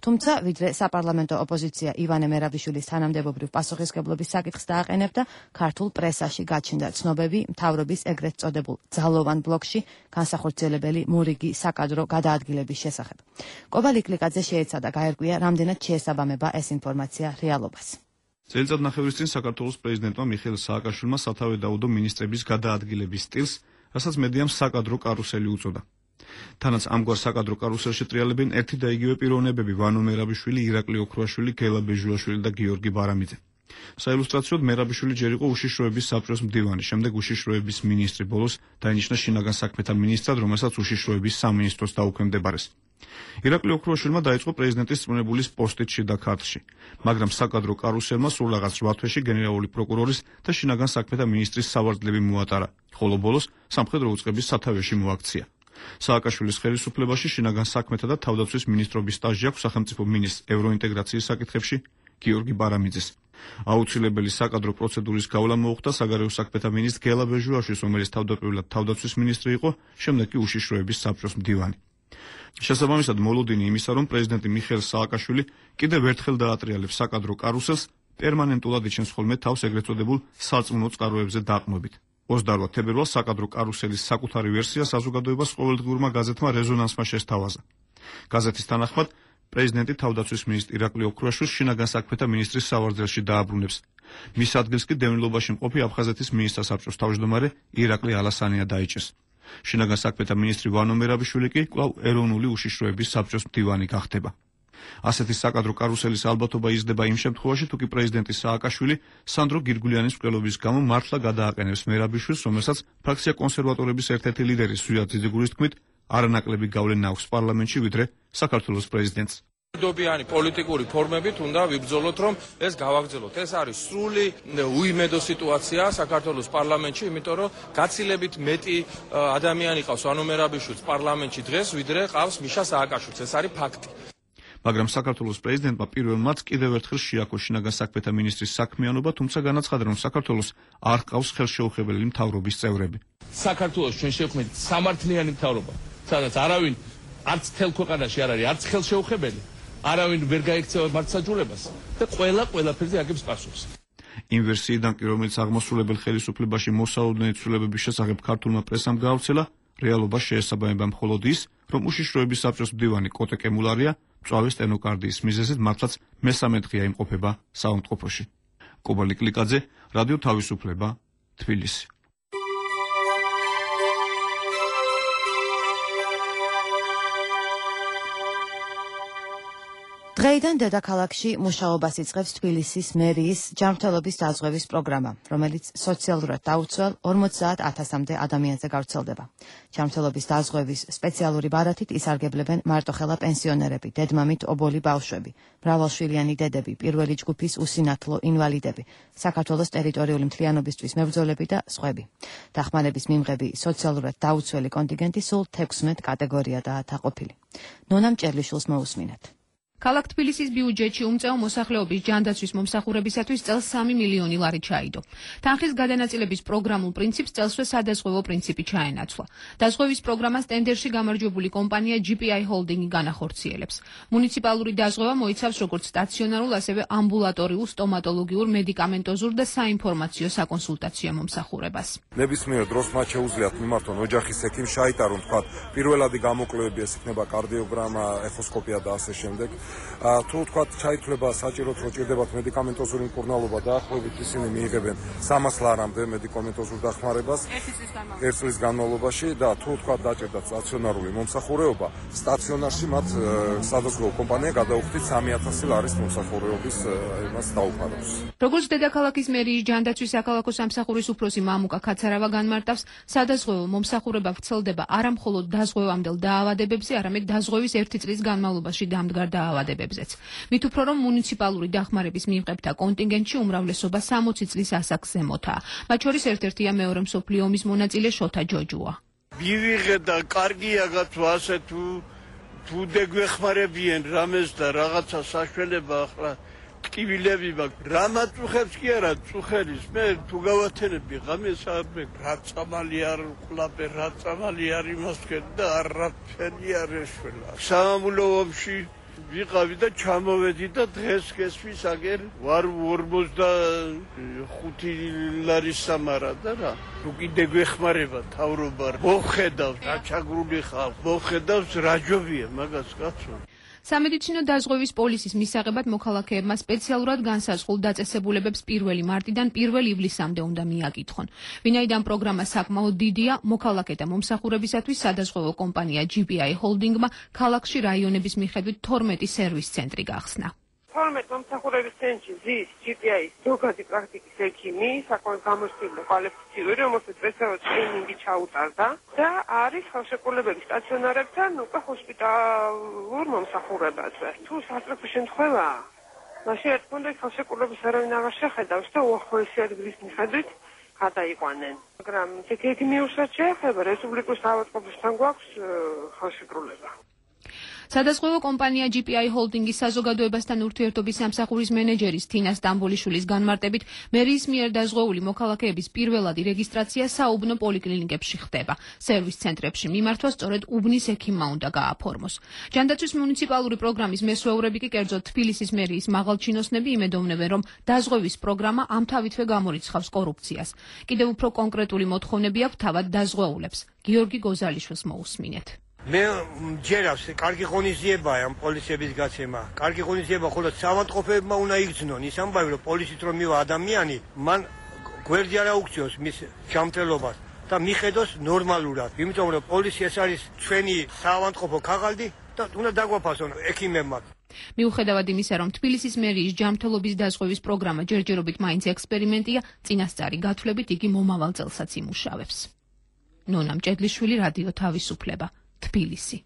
თუმცა, ვიდრე საპარლამენტო ოპოზიცია ივანე მერაბიშვილის თანამდებობრივ პასუხისმგებლობის საკითხს დააყენებდა, ქართულ პრესაში გაჩნდა ცნობები მთავრობის ეგრეთ წოდებულ ძალოვან ბლოკში განსახორციელებელი მორიგი საკადრო გადაადგილების შესახებ. კობალ იკლიკაძე შეეცადა გაერკვია, რამდენად შეესაბამება ეს ინფორმაცია რეალობას. წელიწადნახევრის წინ საქართველოს პრეზიდენტმა მიხეილ სააკაშვილმა სათავე დაუდო მინისტრების გადაადგილების სტილს, რასაც მედიამ საკადრო კარუსელი უწოდა. თანაც ამგვარ საკადრო კარუსელში ტრიალებენ ერთი და იგივე პიროვნებები ვანო მერაბიშვილი, ირაკლი ოქრუაშვილი, გელა ბეჟულაშვილი და გიორგი ბარამიძე. საილუსტრაციოდ მერაბიშვილი ჯერ იყო უშიშროების საბჭოს მდივანი, შემდეგ უშიშროების მინისტრი, ბოლოს დაინიშნა შინაგან საქმეთა მინისტრად, რომელსაც უშიშროების სამინისტროს დაუქვემდებარეს. ირაკლი ოქრუაშვილმა დაიწყო პრეზიდენტის წვრთნებულის პოსტით შიდა ქართლში, მაგრამ საკადრო კარუსელმა სულ რაღაც 8 თვეში გენერალური პროკურორის და შინაგან საქმეთა მინისტრის სავარძლები მოატარა, ხოლო ბოლოს სამხედრო უწყების სათავეში მოაქცია. სააკაშვილის ხელისუფლებაში შინაგან საქმეთა და თავდაცვის მინისტრობის სტაჟი აქვს სახელმწიფო მინისტრ ევროინტეგრაციის საკითხებში გიორგი ბარამიძეს. აუცილებელი საკადრო პროცედურის გავლა მოუხდა საგარეო საქმეთა მინისტრ გელა ბეჟულაშვილს, რომელიც თავდაპირველად თავდაცვის მინისტრი იყო, შემდეგ კი უშიშროების საბჭოს მდივანი. შესაბამისად, მოლოდინი იმისა, რომ პრეზიდენტი მიხეილ სააკაშვილი კიდევ ერთხელ დაატრიალებს საკადრო კარუსელს, პერმანენტულად იჩენს ხოლმე თავს ეგრეთ წოდებულ სარწმუნო წყაროებზე დაყრდნობით. 28 თებერვალს საკადრო კარუსელის საკუთარი ვერსია საზოგადოებას ყოველდღიურმა გაზეთმა რეზონანსმა შესთავაზა. გაზეთის თანახმად, პრეზიდენტი თავდაცვის მინისტრ ირაკლი ოქრუაშვილს შინაგან საქმეთა მინისტრის სავარძელში დააბრუნებს. მის ადგილს კი დევნილობაში მყოფი აფხაზეთის მინისტრთა საბჭოს თავმჯდომარე ირაკლი ალასანია დაიჭერს. შინაგან საქმეთა მინისტრი ვანო მერაბიშვილი კი კვლავ ეროვნული უშიშროების საბჭოს მდივანი გახდება. ასეთი საკადრო კარუსელის ალბათობა იზრდება იმ შემთხვევაში, თუ კი პრეზიდენტი სააკაშვილი სანდრო გირგულიანის მკვლელობის გამო მართლა გადააყენებს მერაბიშვილს, რომელსაც ფრაქცია კონსერვატორების ერთ-ერთი ლიდერი ზვიად ძიძიგურის თქმით, არანაკლები გავლენა აქვს პარლამენტში, ვიდრე საქართველოს პრეზიდენტს. dobიანი პოლიტიკური ფორმებით უნდა ვიბრძოლოთ, რომ ეს გავაგრძელოთ. ეს არის სრული უიმედო სიტუაცია საქართველოს პარლამენტში, იმიტომ რომ გაცილებით მეტი ადამიანი ყავს ვანო მერაბიშვილს პარლამენტში დღეს, ვიდრე ყავს მიშა სააკაშვილს. ეს არის ფაქტი. მაგრამ საქართველოს პრეზიდენტმა პირველ მარტს კიდევ ერთხელ შეაქო შინაგან საქმეთა მინისტრის საქმიანობა, თუმცა განაცხადა, რომ საქართველოს არ ყავს ხელშეუხებელი მთავრობის წევრები. საქართველოს ჩვენ შევქმნით სამართლიანი მთავრობა, სადაც არავინ არც თელ ქვეყანაში არ არის, არც ხელშეუხებელი. არავინ ვერ გაიქცევა მართლმსაჯულებას და ყველაფერზე აგებს პასუხს. იმ ვერსიიდან კი, რომელიც აღმასრულებელ ხელისუფლებაში მოსალოდნელი ცვლილებების შესახებ ქართულმა პრესამ გაავრცელა, რეალობას შეესაბამება მხოლოდ ის, რომ უშიშროების საბჭოს მდივანი კოტე კემულარია მწვავე სტენოკარდიის მიზეზით მართლაც მესამე დღეა იმყოფება საავადმყოფოში. კობალი კლიკაძე, რადიო თავისუფლება, თბილისი. დღეიდან დედაქალაქში მუშაობას იწყებს თბილისის მერიის ჯანმრთელობის დაზღვევის პროგრამა, რომელიც სოციალურად დაუცველ 50,000-მდე ადამიანზე გავრცელდება. ჯანმრთელობის დაზღვევის სპეციალური ბარათით ისარგებლებენ მარტოხელა პენსიონერები, დედმამით ობოლი ბავშვები, მრავალშვილიანი დედები, პირველი ჯგუფის უსინათლო ინვალიდები, საქართველოს ტერიტორიული მთლიანობისთვის მებრძოლები და სხვები. დახმარების მიმღები სოციალურად დაუცველი კონტინგენტი სულ 16 კატეგორიადაა დაყოფილი. ნონა მჭერლიშვილს მოусმინეთ. ქალაქ თბილისის ბიუჯეტში უმწეო მოსახლეობის ჯანდაცვის მომსახურებისათვის წელს 3 მილიონი ლარი ჩაიდო. თანხის გადანაწილების პროგრამულ პრინციპს წელსვე სადაზღვევო პრინციპი ჩაენაცვლა. დაზღვევის პროგრამას ტენდერში გამარჯვებული კომპანია GPI Holding განახორციელებს. მუნიციპალური დაზღვევა მოიცავს როგორც სტაციონარულ, ასევე ამბულატორიულ, სტომატოლოგიურ, მედიკამენტოზურ და საინფორმაციო საკონსულტაციო მომსახურებას. ნებისმიერ დროს მათ შეუძლიათ მიმართონ ოჯახის ექიმს, ჩაიტარონ თქვა პირველადი გამოკვლევები, ეს იქნება კარდიოგრამა, ეხოსკოპია და ასე შემდეგ. თუ თქვა ჩაითვლება საჭიროდ რომ ჭირდებათ მედიკამენტოზური მკურნალობა დაახლოებით ისინი მიიღებენ 300 ლარამდე მედიკამენტოზურ დახმარებას ერთ წლის განმავლობაში და თუ თქვა დაჭერდათ სტაციონარული მომსახურება, სტაციონარში მათ სადაზღვევო კომპანია გადაუხდით 3000 ლარის მომსახურების იმას დაუფარებს. როგორც დედაქალაქის მერიის ჯანდაცვის საქალაქო სამსახურის უფროსი მამუკა ქაცარავა განმარტავს, სადაზღვევო მომსახურება ვრცელდება არა მხოლოდ დაზღვევამდელ დაავადებებზე, არამედ დაზღვევის 1 წლის განმავლობაში დამდგარ დაავადებებზეც. მით უფრო რომ მუნიციპალური დახმარების მიღებთა კონტინგენტში უმრავლესობა 60 წლის ასაკს ზემოთაა. მათ შორის ერთ-ერთია მეორე მსოფლიო ომის მონაწილე შოთა ჯოჯუა. მივიღე და კარგია გათო ასე თუ დეგვეხმარებიან რამეს და რაღაცა საშველება ახლა ტკივილები მაქვს. რა მაწუხებს კი არა წუხელის მე თუ გავათენები ღამეს ამე რა წამალი არ ყლაპე რა წამალი არ იმასკენ და არაფერი არ ეშველა. სამამულო ომში ვიყავი და ჩამოვედი და დღეს გესმის აგერ ვარ 45 ლარის სამარა და რა თუ კიდე გვეხმარება თავრობა მოხედავს რა ჩაგრული ხალხ მოხედავს რა ჯობია მაგას კაცო. სამედიცინო დაზღვევის პოლისის მისაღებად მოქალაქეებმა სპეციალურად განსაზღვრულ დაწესებულებებს 1 მარტიდან 1 ივლისამდე უნდა მიაკითხონ. ვინაიდან პროგრამა საკმაოდ დიდია, მოქალაქეთა მომსახურებისათვის სადაზღვევო კომპანია GPI Holding-მა ქალაქში რაიონების მიხედვით 12 სერვის ცენტრი გახსნა. 12 მომსახურების ცენტრში ზის GPI-ის ზოგადი პრაქტიკის ექიმი, საკმაოდ გამოცდილი კვალიფიციური, რომელსაც სპეციალური ტრეინინგი ჩაუტარდა და არის ხელშეკრულებები სტაციონარებთან უკვე ჰოსპიტალურ მომსახურებაზე. თუ სასწრაფო შემთხვევაა, მაშინ რა თქმა უნდა ხელშეკრულების არავინ აღარ შეხედავს და უახლოესი ადგილის მიხედვით გადაიყვანენ. მაგრამ ექიმი უბრალოდ შეეხება რესპუბლიკის ავადმყოფოსთან გვაქვს ხელშეკრულება. სადაზღვევო კომპანია GPI Holding-ის საზოგადოებასთან ურთიერთობის სამსახურის მენეჯერის თინა სტამბოლიშვილის განმარტებით, მერიის მიერ დაზღვეული მოქალაქეების პირველადი რეგისტრაცია საუბნო პოლიკლინიკებში ხდება. სერვის ცენტრებში მიმართვა სწორედ უბნის ექიმმა უნდა გააფორმოს. ჯანდაცვის მუნიციპალური პროგრამის მესვეურები კი კერძოდ თბილისის მერიის მაღალჩინოსნები იმედოვნებენ, რომ დაზღვევის პროგრამა ამთავითვე გამორიცხავს კორუფციას. კიდევ უფრო კონკრეტული მოთხოვნები აქვს თავად დაზღვეულებს. გიორგი გოზალიშვილს მოусმინეთ. მე მჯერავს კარგი ღონისძიებაა ამ პოლიციების გაცემა. კარგი ღონისძიება ხოლმე საავადმყოფოებმა უნდა იგრძნონ ის ამბავი, რომ პოლიცით რომ მივა ადამიანი, მან გვერდი არა უქციოს მის ჯანმრთელობას და მიხედოს ნორმალურად. იმიტომ რომ პოლიცია ეს არის ჩვენი საავადმყოფო ქაღალდი და უნდა დაგვაფასონ ექიმებმა. მიუხედავად იმისა, რომ თბილისის მერიის ჯანმრთელობის დაზღვევის პროგრამა ჯერჯერობით მაინც ექსპერიმენტია, წინასწარი გათვლებით იგი მომავალ წელსაც იმუშავებს. ნონა მჭედლიშვილი, რადიო თავისუფლება, თბილისი.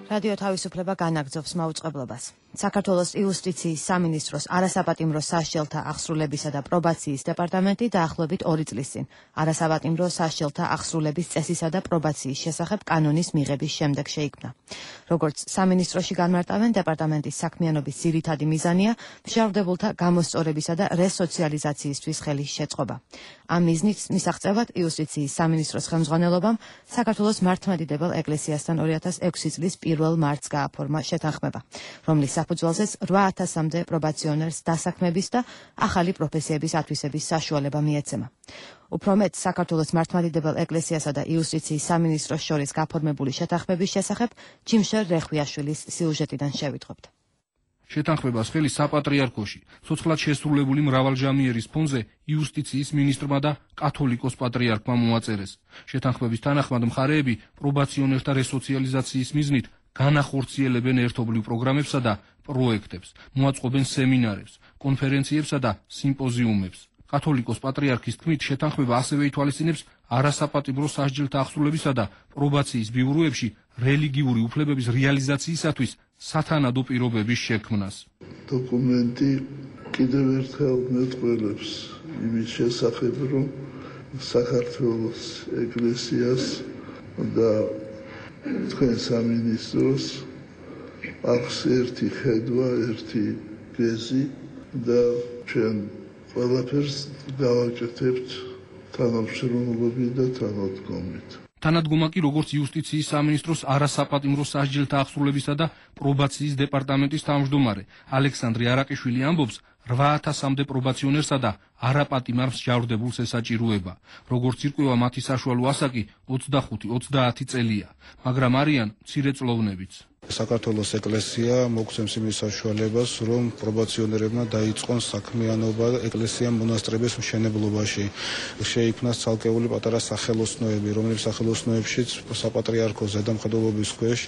რადიო თავისუფლება განაგრძობს მაუწყებლობას. საქართველოს იუსტიციის სამინისტროს არასაპატიმრო სასჯელთა აღსრულებისა და პრობაციის დეპარტამენტი დაახლოებით 2 წლის წინ არასაპატიმრო სასჯელთა აღსრულების წესისა და პრობაციის შესახებ კანონის მიღების შემდეგ შეიქმნა. როგორც სამინისტროში განმარტავენ, დეპარტამენტის საქმიანობის ძირითადი მიზანია მშენებელთა გამოსწორებისა და რესოციალიზაციისთვის ხელის შეწყობა. ამ მიზნის მისაღწევად იუსტიციის სამინისტროს ხელმძღვანელობამ საქართველოს მართლმადიდებელ ეკლესიასთან 2006 წლის 1 მარტს გააფორმა შეთანხმება, რომლის საფუძველზეც 8000-მდე პრობაციონერს დასაქმების და ახალი პროფესიების ათვისების საშუალება მიეცემა. უფრო მეტ, საქართველოს მართლმადიდებელ ეკლესიასა და იუსტიციის სამინისტროს შორის გაფორმებული შეთანხმების შესახებ ჯიმშერ რეხვიაშვილის სიუჟეტიდან შევიტყობთ. შეთანხმებას ხელი საპატრიარქოში, ცოცხლად შესრულებული მრავალჟამიერის ფონზე იუსტიციის მინისტრმა და კათოლიკოს პატრიარქმა მოაწერეს. შეთანხმების თანახმად მხარეები პრობაციონერთა რესოციალიზაციის მიზნით განახორციელებენ ერთობლივ პროგრამებსა და პროექტებს, მოაწყობენ სემინარებს, კონფერენციებსა და სიმპოზიუმებს. კათოლიკოს პატრიარქის თქმით, შეთანხმება ასევე ითვალისწინებს არასაპატიმრო სასჯელთა აღსრულებისა და პრობაციის ბიუროებში რელიგიური უფლებების რეალიზაციისათვის სათანადო პირობების შექმნას. დოკუმენტი კიდევ ერთხელ მეტყველებს იმის შესახებ, რომ საქართველოს ეკლესიას და თქვენ სამინისტროს აქვს ერთი ხედვა, ერთი გეზი და ჩვენ ყველაფერს გავაკეთებთ თანამშრომლობით და თანადგომით. თანადგომა კი როგორც იუსტიციის სამინისტროს არასაპატიმრო სასჯელთა აღსრულებისა და პრობაციის დეპარტამენტის თავმჯდომარე ალექსანდრე არაყიშვილი ამბობს, 8000-მდე პრობაციონერსა და არაპატიმარ მსჯავრდებულს ესაჭიროება. როგორც ირკვევა, მათი საშუალო ასაკი 25-30 წელია, მაგრამ არიან მცირეწლოვნებიც. საქართველოს ეკლესია მოგცემს იმის საშუალებას, რომ პრობაციონერებმა დაიწყონ საქმიანობა ეკლესია მონასტრების მშენებლობაში. შეიქმნას ცალკეული პატარა სახელოსნოები, რომლებიც სახელოსნოებშიც საპატრიარქო ზედამხედველობის ქვეშ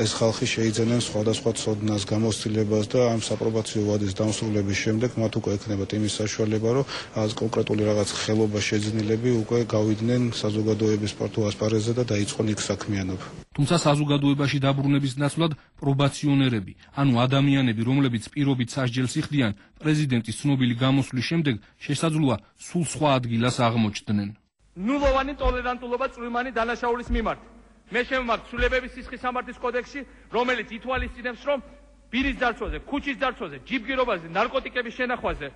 ეს ხალხი შეიძენენ სხვადასხვა ცოდნას, გამოცდილებას და ამ საპრობაციო ვადის დამსრულების შემდეგ მათ უკვე ექნებათ იმის საშუალება, რომ კონკრეტული რაღაც ხელობა შეძნილები უკვე გავიდნენ საზოგადოების პარტო ასპარეზზე და დაიწყონ იქ საქმიანობა. თუმცა საზოგადოებაში დაბრუნების ნაცვლად პრობაციონერები, ანუ ადამიანები, რომლებიც პირობით სასჯელს იხდიან, პრეზიდენტის ცნობილი გამოსვლის შემდეგ შესაძლოა სულ სხვა ადგილას აღმოჩნდნენ. ნულოვანი ტოლერანტულობა წვრილმანი დანაშაულის მიმართ. მე შემმართ ცვლილებების სისხლის სამართლის კოდექსში, რომელიც ითვალისწინებს, რომ პირის ძარცვაზე, ქუჩის ძარცვაზე, ჯიბგირობაზე, ნარკოტიკების შენახვაზე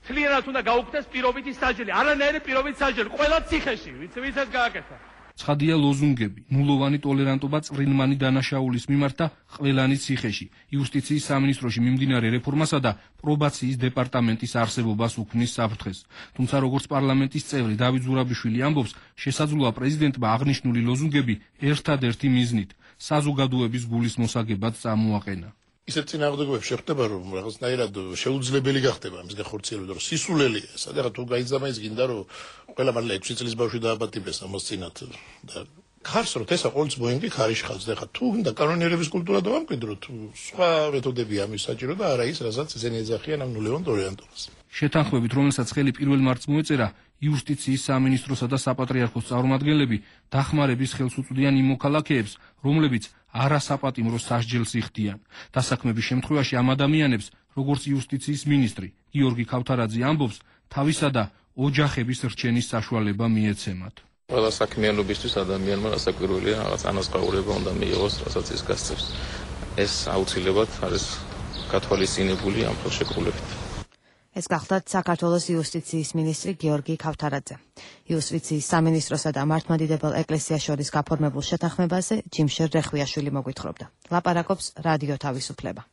თლიანად უნდა გაუქმდეს პირობითი სასჯელი, არანაირი პირობითი სასჯელი, ყველა ციხეში, ვისაც გააკეთა. ცხადია ლოზუნგები, ნულოვანი ტოლერანტობა წვრილმანი დანაშაულის მიმართ და ყველანი ციხეში, იუსტიციის სამინისტროში მიმდინარე რეფორმასა და პრობაციის დეპარტამენტის არსებობას უქმნის საფრთხეს. თუმცა როგორც პარლამენტის წევრი დავით ზურაბიშვილი ამბობს, შესაძლოა პრეზიდენტმა აღნიშნული ლოზუნგები ერთადერთი მიზნით საზოგადოების გულის მოსაგებად წამოაყენა. ისეთ წინააღმდეგობებს შეხვდება, რომ რაღაცნაირად შეუძლებელი გახდება ამის გახორციელება, რომ სისულელია. სადღაც თუ გაიძამა ის გინდა, რომ ყველა მართლა 6 წლის ბავშვი დააპატიმრეს ამოსწინათ და ხარს რომ ესა ყოველთვის ბოინგი ხარიშხავს და ხა თუ უნდა კანონიერების კულტურა დავამკვიდროთ, სხვა მეთოდები ამის საჭირო და არა ის, რასაც ესენი ეძახიან ამ ნულევან ტოლერანტობას. შეთანხმებით, რომელსაც ხელი 1 მარტს მოეწერა, იუსტიციის სამინისტროსა და საპატრიარქოს წარმომადგენლები დახმარების ხელს უწვდიან იმ მოქალაქეებს, რომლებიც არასაპატიმრო სასჯელს იხდიან. დასაქმების შემთხვევაში ამ ადამიანებს, როგორც იუსტიციის მინისტრი გიორგი ქავთარაძე ამბობს, თავისა და ოჯახების რჩენის საშუალება მიეცემათ. ყველა საქმიანობისთვის ადამიანმა რასაკვირველია რაღაც ანაზღაურება უნდა მიიღოს, რასაც ის გასცემს. ეს აუცილებლად არის გათვალისწინებული ამ ხელშეკრულებით. ეს გახლდათ საქართველოს იუსტიციის მინისტრი გიორგი ქავთარაძე. იუსტიციის სამინისტროსა და მართლმადიდებელ ეკლესიას შორის გაფორმებულ შეთანხმებაზე ჯიმშერ რეხვიაშვილი მოგვითხრობდა. ლაპარაკობს რადიო თავისუფლება.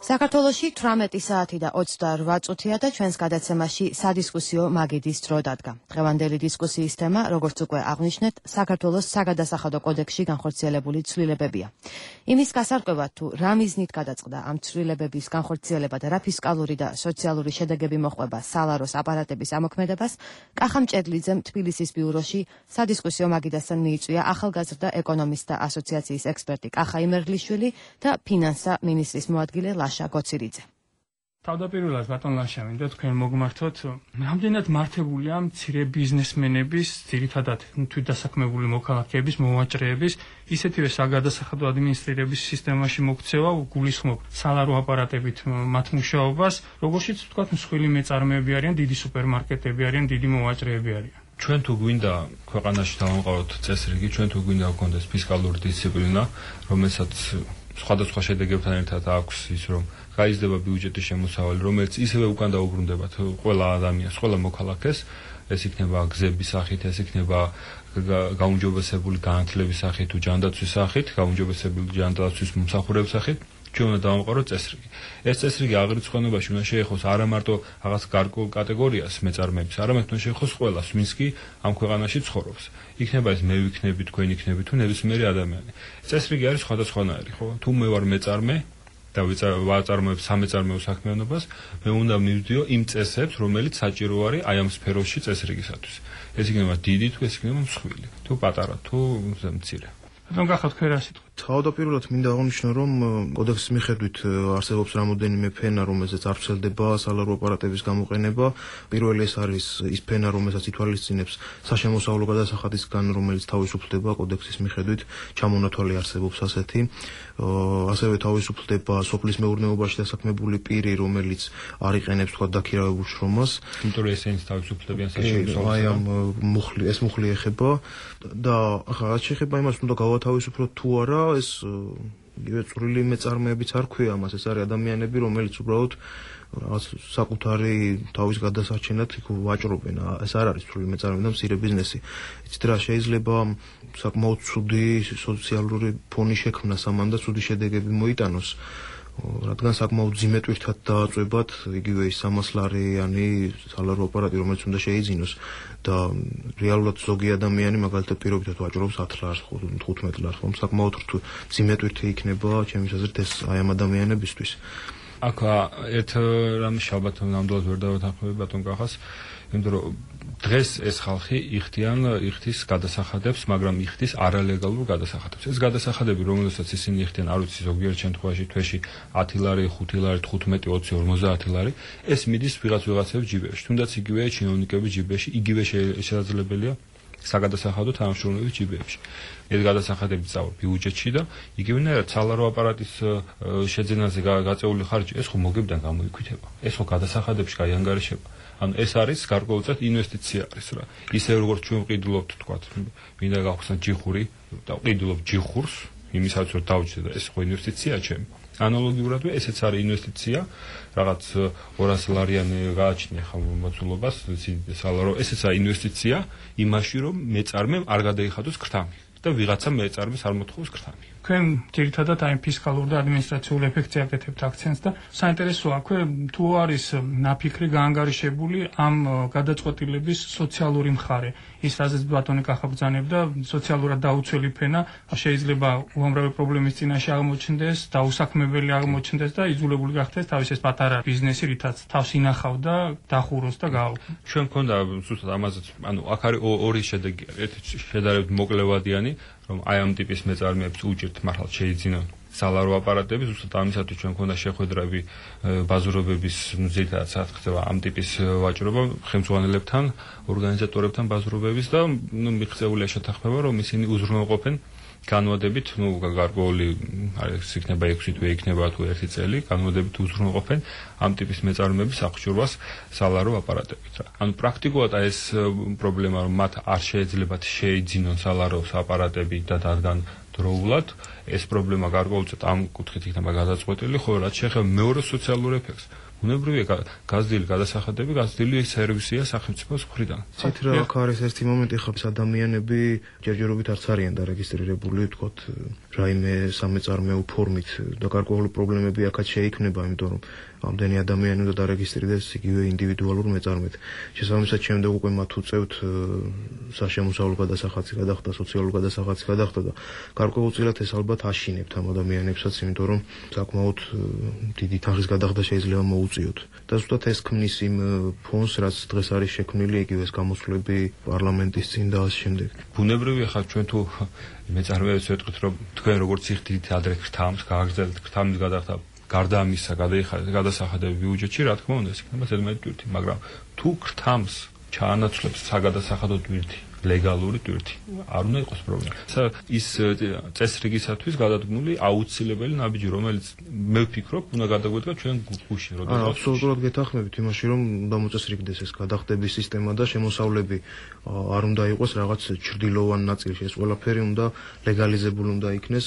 საქართველოში 18 საათი და 28 წუთია და ჩვენს გადაცემაში სადისკუსიო მაგიდის დრო დადგა. დღევანდელი დისკუსიის თემა, როგორც უკვე აღვნიშნეთ, საქართველოს საგადასახადო კოდექსში განხორციელებული ცვლილებებია. იმის გასარკვევად, თუ რა მიზნით გადაწყდა ამ ცვლილებების განხორციელება და რა ფისკალური და სოციალური შედეგები მოჰყვება სალაროს აპარატების ამოქმედებას, კახა მჭედლიძემ თბილისის ბიუროში სადისკუსიო მაგიდასთან მიიწვია ახალგაზრდა ეკონომისტთა ასოციაციის ექსპერტი კახა იმერგლიშვილი და ფინანსთა მინისტრის მოადგილე ლაშა გოცირიძე. თავდაპირველად ბატონ ლაშა, მინდა თქვენ მოგმართოთ, რამდენად მართებულია მცირე ბიზნესმენების, ძირითადად თვითდასაქმებული მოქალაქეების, მოვაჭრეების, ისეთივე საგადასახადო ადმინისტრირების სისტემაში მოქცევა გულისხმობ სალარო აპარატებით მათ მუშაობას, როგორშიც ვთქვათ, მსხვილი მეწარმეები არიან, დიდი სუპერმარკეტები არიან, დიდი მოვაჭრეები არიან. ჩვენ თუ გვინდა ქვეყანაში დავამყაროთ წესრიგი, ჩვენ თუ გვინდა გქონდეს ფისკალური დისციპლინა, რომელსაც სხვადასხვა შედეგებთან ერთად აქვს ის, რომ გაიზრდება ბიუჯეტის შემოსავალი, რომელიც ისევე უკან დაუბრუნდება ყველა ადამიანს, ყველა მოქალაქეს, ეს იქნება გზების სახით, ეს იქნება გაუმჯობესებული განათლების სახით თუ ჯანდაცვის სახით, გაუმჯობესებული ჯანდაცვის მომსახურების სახით. ჩვენ უნდა დავამყაროთ წესრიგი. ეს წესრიგი აღრიცხვენობაში უნდა შეეხოს არა მარტო რაღაც გარკვეულ კატეგორიას მეწარმეებს, არამედ უნდა შეეხოს ყველას, ვინც კი ამ ქვეყანაში ცხოვრობს. იქნება ეს მე ვიქნები, თქვენ იქნები თუ ნებისმიერი ადამიანი. წესრიგი არის სხვადასხვანაირი, ხო? თუ მე ვარ მეწარმე და ვაწარმოებ სამეწარმეო საქმიანობას, მე უნდა მივდიო იმ წესებს, რომელიც საჭირო არის აი ამ სფეროში წესრიგისათვის. ეს იქნება დიდი თუ ეს იქნება მსხვილი, თუ პატარა, თუ მცირე. რომ გახავთ თქვენ რა სიტყვა? თავდაპირველად მინდა აღნიშნო, რომ კოდექსის მიხედვით არსებობს რამოდენიმე ფენა, რომელზეც არ ვრცელდება სალარო აპარატების გამოყენება. პირველი ეს არის ის ფენა, რომელსაც ითვალისწინებს საშემოსავლო გადასახადისგან, რომელიც თავისუფლდება კოდექსის მიხედვით, ჩამონათვალი არსებობს ასეთი. ასევე თავისუფლდება სოფლის მეურნეობაში დასაქმებული პირი, რომელიც არ იყენებს თქვა დაქირავებულ შრომას. იმიტომ რომ ესენიც თავისუფლებიან საშემოსავლო. აი ამ ეს მუხლი ეხება და ახლა რაც შეეხება იმას, უნდა გავათავისუფლოთ თუ არა, ეს იგივე წვრილი მეწარმეებიც არ ქვია ამას, ეს არის ადამიანები, რომელიც უბრალოდ რაღაც საკუთარი თავის გადასარჩენად იქ ვაჭრობენ. ეს არ არის წვრილი მეწარმეები და მცირე ბიზნესი. იცით რა, შეიძლება საკმაოდ ცუდი სოციალური ფონი შექმნას ამან და ცუდი შედეგები მოიტანოს. რადგან საკმაოდ ძიმე ტვირთად დააწვებათ იგივე ის 300 ლარიანი სალარო აპარატი, რომელიც უნდა შეიძინოს და რეალურად ზოგი ადამიანი მაგალითად პირობითად ვაჭრობს 10 ლარს, 15 ლარს, ხომ საკმაოდ ძიმე ტვირთი იქნება ჩემი აზრით ეს აი ამ ადამიანებისთვის. აქ ერთ რამის ალბათ ნამდვილად ვერ დავეთანხმები ბატონ კახას, იმიტომ რომ დღეს ეს ხალხი იხდის გადასახადებს, მაგრამ იხდის არალეგალურ გადასახადებს. ეს გადასახადები, რომელსაც ისინი იხდიან, არ ვიცი, ზოგიერთ შემთხვევაში თვეში 10 ლარი, 5 ლარი, 15, 20, 50 ლარი, ეს მიდის ვიღაცების ჯიბებში. თუნდაც იგივე ჩინოვნიკების ჯიბებში, იგივე შესაძლებელია საგადასახადო თანამშრომლების ჯიბებში. ეს გადასახადები წავა ბიუჯეტში და იგივენაირად სალარო აპარატის შეძენაზე გაწეული ხარჯი, ეს ხო მოგებიდან გამოიქვითება. ეს ხო გადასახადებში გაიანგარიშება. ანუ ეს არის გარკვეულწილად ინვესტიცია არის რა. ისე როგორც ჩვენ ვყიდულობთ, თქვათ, მინდა გავხსნათ ჯიხური და ვყიდულობ ჯიხურს, იმისაც რომ დავჭდე და ეს ხო ინვესტიცია ჩემი. ანალოგიურადვე ესეც არის ინვესტიცია, რაღაც 200 ლარიანი გააჩნია ხმამოცულობას, სალარო, ესეც არის ინვესტიცია იმაში, რომ მეწარმემ არ გადაიხადოს ქრთამი და ვიღაცა მეწარმეს არ მოთხოვს ქრთამი. თქვენ ძირითადად აი ფისკალურ და ადმინისტრაციულ ეფექტზე აკეთებთ აქცენტს და საინტერესოა, თუ არის ნაფიქრი გაანგარიშებული ამ გადაწყვეტილების სოციალური მხარე. ის რაზეც ბატონი კახა ბრძანებდა, სოციალურად დაუცველი ფენა შეიძლება უამრავი პრობლემის წინაშე აღმოჩნდეს, დაუსაქმებელი აღმოჩნდეს და იძულებული გახდეს თავის ეს პატარა ბიზნესი, რითაც თავს ინახავდა, დახუროს და გააუქმო. ჩვენ მქონდა ზუსტად ამაზეც, ანუ აქ არის ორი შედეგი, ერთი შედარებით მოკლევადიანი, რომ აი ამ ტიპის მეწარმეებს უჭირთ მართლა შეიძინონ სალარო აპარატები, ზუსტად ამისათვის ჩვენ მქონდა შეხვედრები ბაზრობების, ძირითადად სადაც ხდება ამ ტიპის ვაჭრობა ხელმძღვანელებთან, ორგანიზატორებთან ბაზრობების და მიღწეულია შეთანხმება, რომ ისინი უზრუნველყოფენ განვადებით, გარკვეული არის იქნება 6 თუ იქნება თუ 1 წელი, განვადებით უზრუნველყოფენ ამ ტიპის მეწარმეების აღჭურვას სალარო აპარატებით რა. ანუ პრაქტიკულად ეს პრობლემა, რომ მათ არ შეეძლებათ შეიძინონ სალარო აპარატები და დადგან დროულად, ეს პრობლემა გარკვეულწილად ამ კუთხით იქნება გადაწყვეტილი, ხოლო რაც შეეხება მეორე სოციალურ ეფექტს, უნებრივია გაზრდილი გადასახადები, გაზრდილი სერვისია სახელმწიფოს მხრიდან. ცით რა აქ არის ერთი მომენტი, ხა ადამიანები ჯერჯერობით არც არიან დარეგისტრირებული, თქოთ, რაიმე სამეწარმეო ფორმით და გარკვეული პრობლემები აქაც შეიქმნება, იმიტომ რომ ამდენი ადამიანი უნდა დარეგისტრირდეს იგივე ინდივიდუალურ მეწარმედ. შესაბამისად, შემდეგ უკვე მათ უწევთ საშემოსავლო გადასახადს გადახდა, სოციალურ გადასახადს გადახდა და გარკვეულწილად ეს ალბათ აშინებთ ამ ადამიანებსაც, იმიტომ რომ საკმაოდ დიდი თანხის გადახდა შეიძლება მოუწიოთ. და ზუსტად ეს ქმნის იმ ფონს, რაც დღეს არის შექმნილი, იგივე ეს გამოსვლები პარლამენტის წინ და ამ შემდეგ. ბუნებრივია ხარ ჩვენ თუ მეწარმეებს ვეტყვით, რომ თქვენ როგორც იხდით ადრე ქრთამს, გააგრძელეთ ქრთამის გადახდა გარდა ამისა გადასახადები ბიუჯეტში, რა თქმა უნდა, ეს იქნება ზედმეტი ტვირთი, მაგრამ თუ ქრთამს ჩაანაცვლებს საგადასახადო ტვირთი, ლეგალური ტვირთი, არ უნდა იყოს პრობლემა. ის წესრიგისათვის გადადგმული აუცილებელი ნაბიჯი, რომელიც მე ვფიქრობ, უნდა გადაგვედგა ჩვენ გუშინ, როდესაც აბსოლუტურად გეთანხმებით იმაში, რომ უნდა მოწესრიგდეს ეს გადახდების სისტემა და შემოსავლები არ უნდა იყოს რაღაც ჩრდილოვან ნაწილში, ეს ყველაფერი უნდა ლეგალიზებული უნდა იქნეს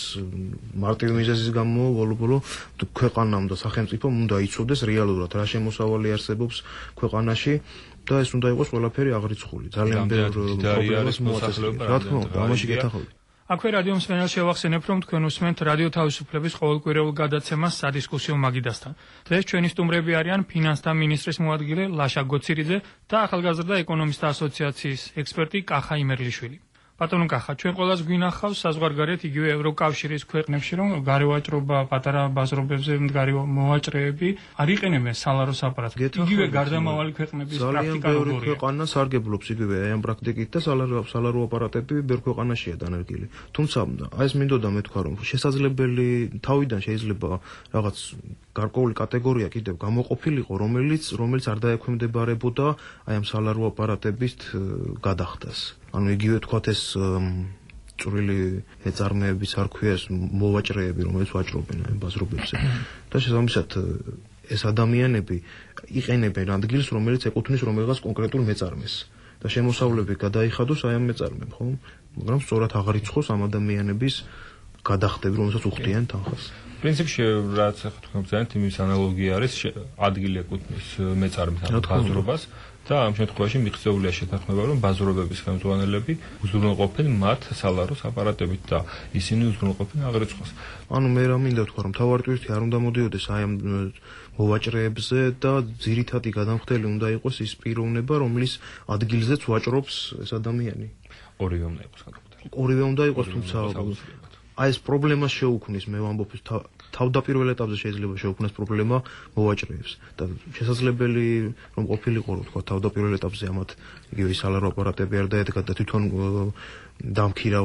მარტივი მიზეზის გამო, ბოლო-ბოლო ქვეყანამ და სახელმწიფომ უნდა იცოდეს რეალურად რა შემოსავალი არსებობს ქვეყანაში და ეს უნდა იყოს ყველაფერი აღრიცხული. ძალიან ბევრ პრობლემას მოაწესრიგებს. რა თქმა უნდა, ამაში გეთახავთ. აქვე რადიო მსმენელს შევახსენებ, რომ თქვენ უსმენთ რადიო თავისუფლების ყოველკვირეულ გადაცემას სადისკუსიო მაგიდასთან. დღეს ჩვენი სტუმრები არიან ფინანსთა მინისტრის მოადგილე ლაშა გოცირიძე და ახალგაზრდა ეკონომისტთა ასოციაციის ექსპერტი კახა იმერლიშვილი. ბატონო კახა, ჩვენ ყველას გვინახავს საზღვარგარეთ იგივე ევროკავშირის ქვეყნებში, რომ გარევაჭრობა, პატარა ბაზრობებზე მდგარი მოვაჭრეები არ იყენებენ სალაროს აპარატს. იგივე გარდამავალი ქვეყნების პრაქტიკა ძალიან ბევრი ქვეყანა სარგებლობს იგივე აი ამ პრაქტიკით და სალარო აპარატები ბევრ ქვეყანაშია დანერგილი. თუმცა აი ეს მინდოდა მე თქვა, რომ შესაძლებელი თავიდან შეიძლება რაღაც გარკვეული კატეგორია კიდევ გამოყოფილიყო, რომელიც არ დაექვემდებარებოდა აი ამ სალარო აპარატების გადახდას. ანუ იგივე თქვათ ეს წვრილი ეწარმეებიც არ ქვია ეს მოვაჭრეები, რომელიც ვაჭრობენ აი ბაზრობებზე. და შესაბამისად ეს ადამიანები იყენებენ ადგილს, რომელიც ეკუთვნის რომელიღაც კონკრეტულ მეწარმეს. და შემოსავლები გადაიხადოს აი ამ მეწარმემ, ხო? მაგრამ სწორად აღარიცხოს ამ ადამიანების გადახდები, რომელსაც უხდიან თანხას. პრინციპში რაც ახლა თქვენ ბრძანეთ, იმის ანალოგია არის ადგილი ეკუთვნის მეწარმეს ან ბაზრობას. და ამ შემთხვევაში მიღწეულია შეთანხმება, რომ ბაზრობების ხელმძღვანელები უზრუნველყოფენ მათ სალაროს აპარატებით და ისინი უზრუნველყოფენ აღრიცხვას. ანუ მე რა მინდა თქვა, რომ თავარი ტვირთი არ უნდა მოდიოდეს აი ამ მოვაჭრეებზე და ძირითადი გადამხდელი უნდა იყოს ის პიროვნება, რომლის ადგილზეც ვაჭრობს ეს ადამიანი. ორივე უნდა იყოს გადამხდელი. ორივე უნდა იყოს, თუმცა აი ეს პრობლემას შეუქმნის, მე ვამბობ თავდაპირველ ეტაპზე შეიძლება შეუქმნას პრობლემა მოვაჭრეებს და შესაძლებელი რომ ყოფილიყო რომ თქვა თავდაპირველ ეტაპზე ამათ იგივე სალარო აპარატები არ დაედგათ და თვითონ დამქირა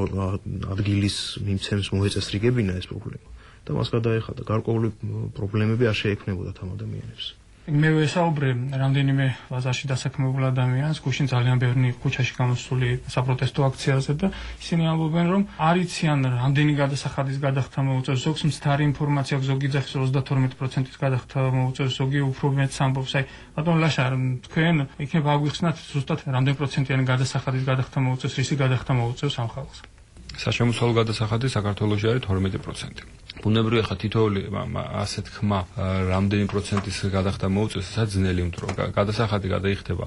ადგილის მიმცემს მოეწესრიგებინა ეს პრობლემა და მას გადაეხადა გარკვეული პრობლემები არ შეექმნებოდა ამ ადამიანებს. მე ვესაუბრე რამდენიმე ბაზარში დასაქმებულ ადამიანს, გუშინ ძალიან ბევრი ქუჩაში გამოსული საპროტესტო აქციაზე და ისინი ამბობენ, რომ არ იციან რამდენი გადასახადის გადახდა მოუწევს, ზოგს მცდარი ინფორმაცია აქვს, ზოგი ძახის 32%-ის გადახდა მოუწევს, ზოგი უფრო მეტს ამბობს. აი, ბატონ ლაშა, თქვენ იქნება აგვიხსნათ ზუსტად რამდენი პროცენტიანი გადასახადის გადახდა მოუწევს, რისი გადახდა მოუწევს ამ ხალხს? საშემოსავლო გადასახადი საქართველოში არის 12%. ბუნებრივია ხა თითოეული ასეთ ხმა რამდენი პროცენტის გადახდა მოუწევს, ეს ძნელი, იმიტომ რომ გადასახადი გადაიხდება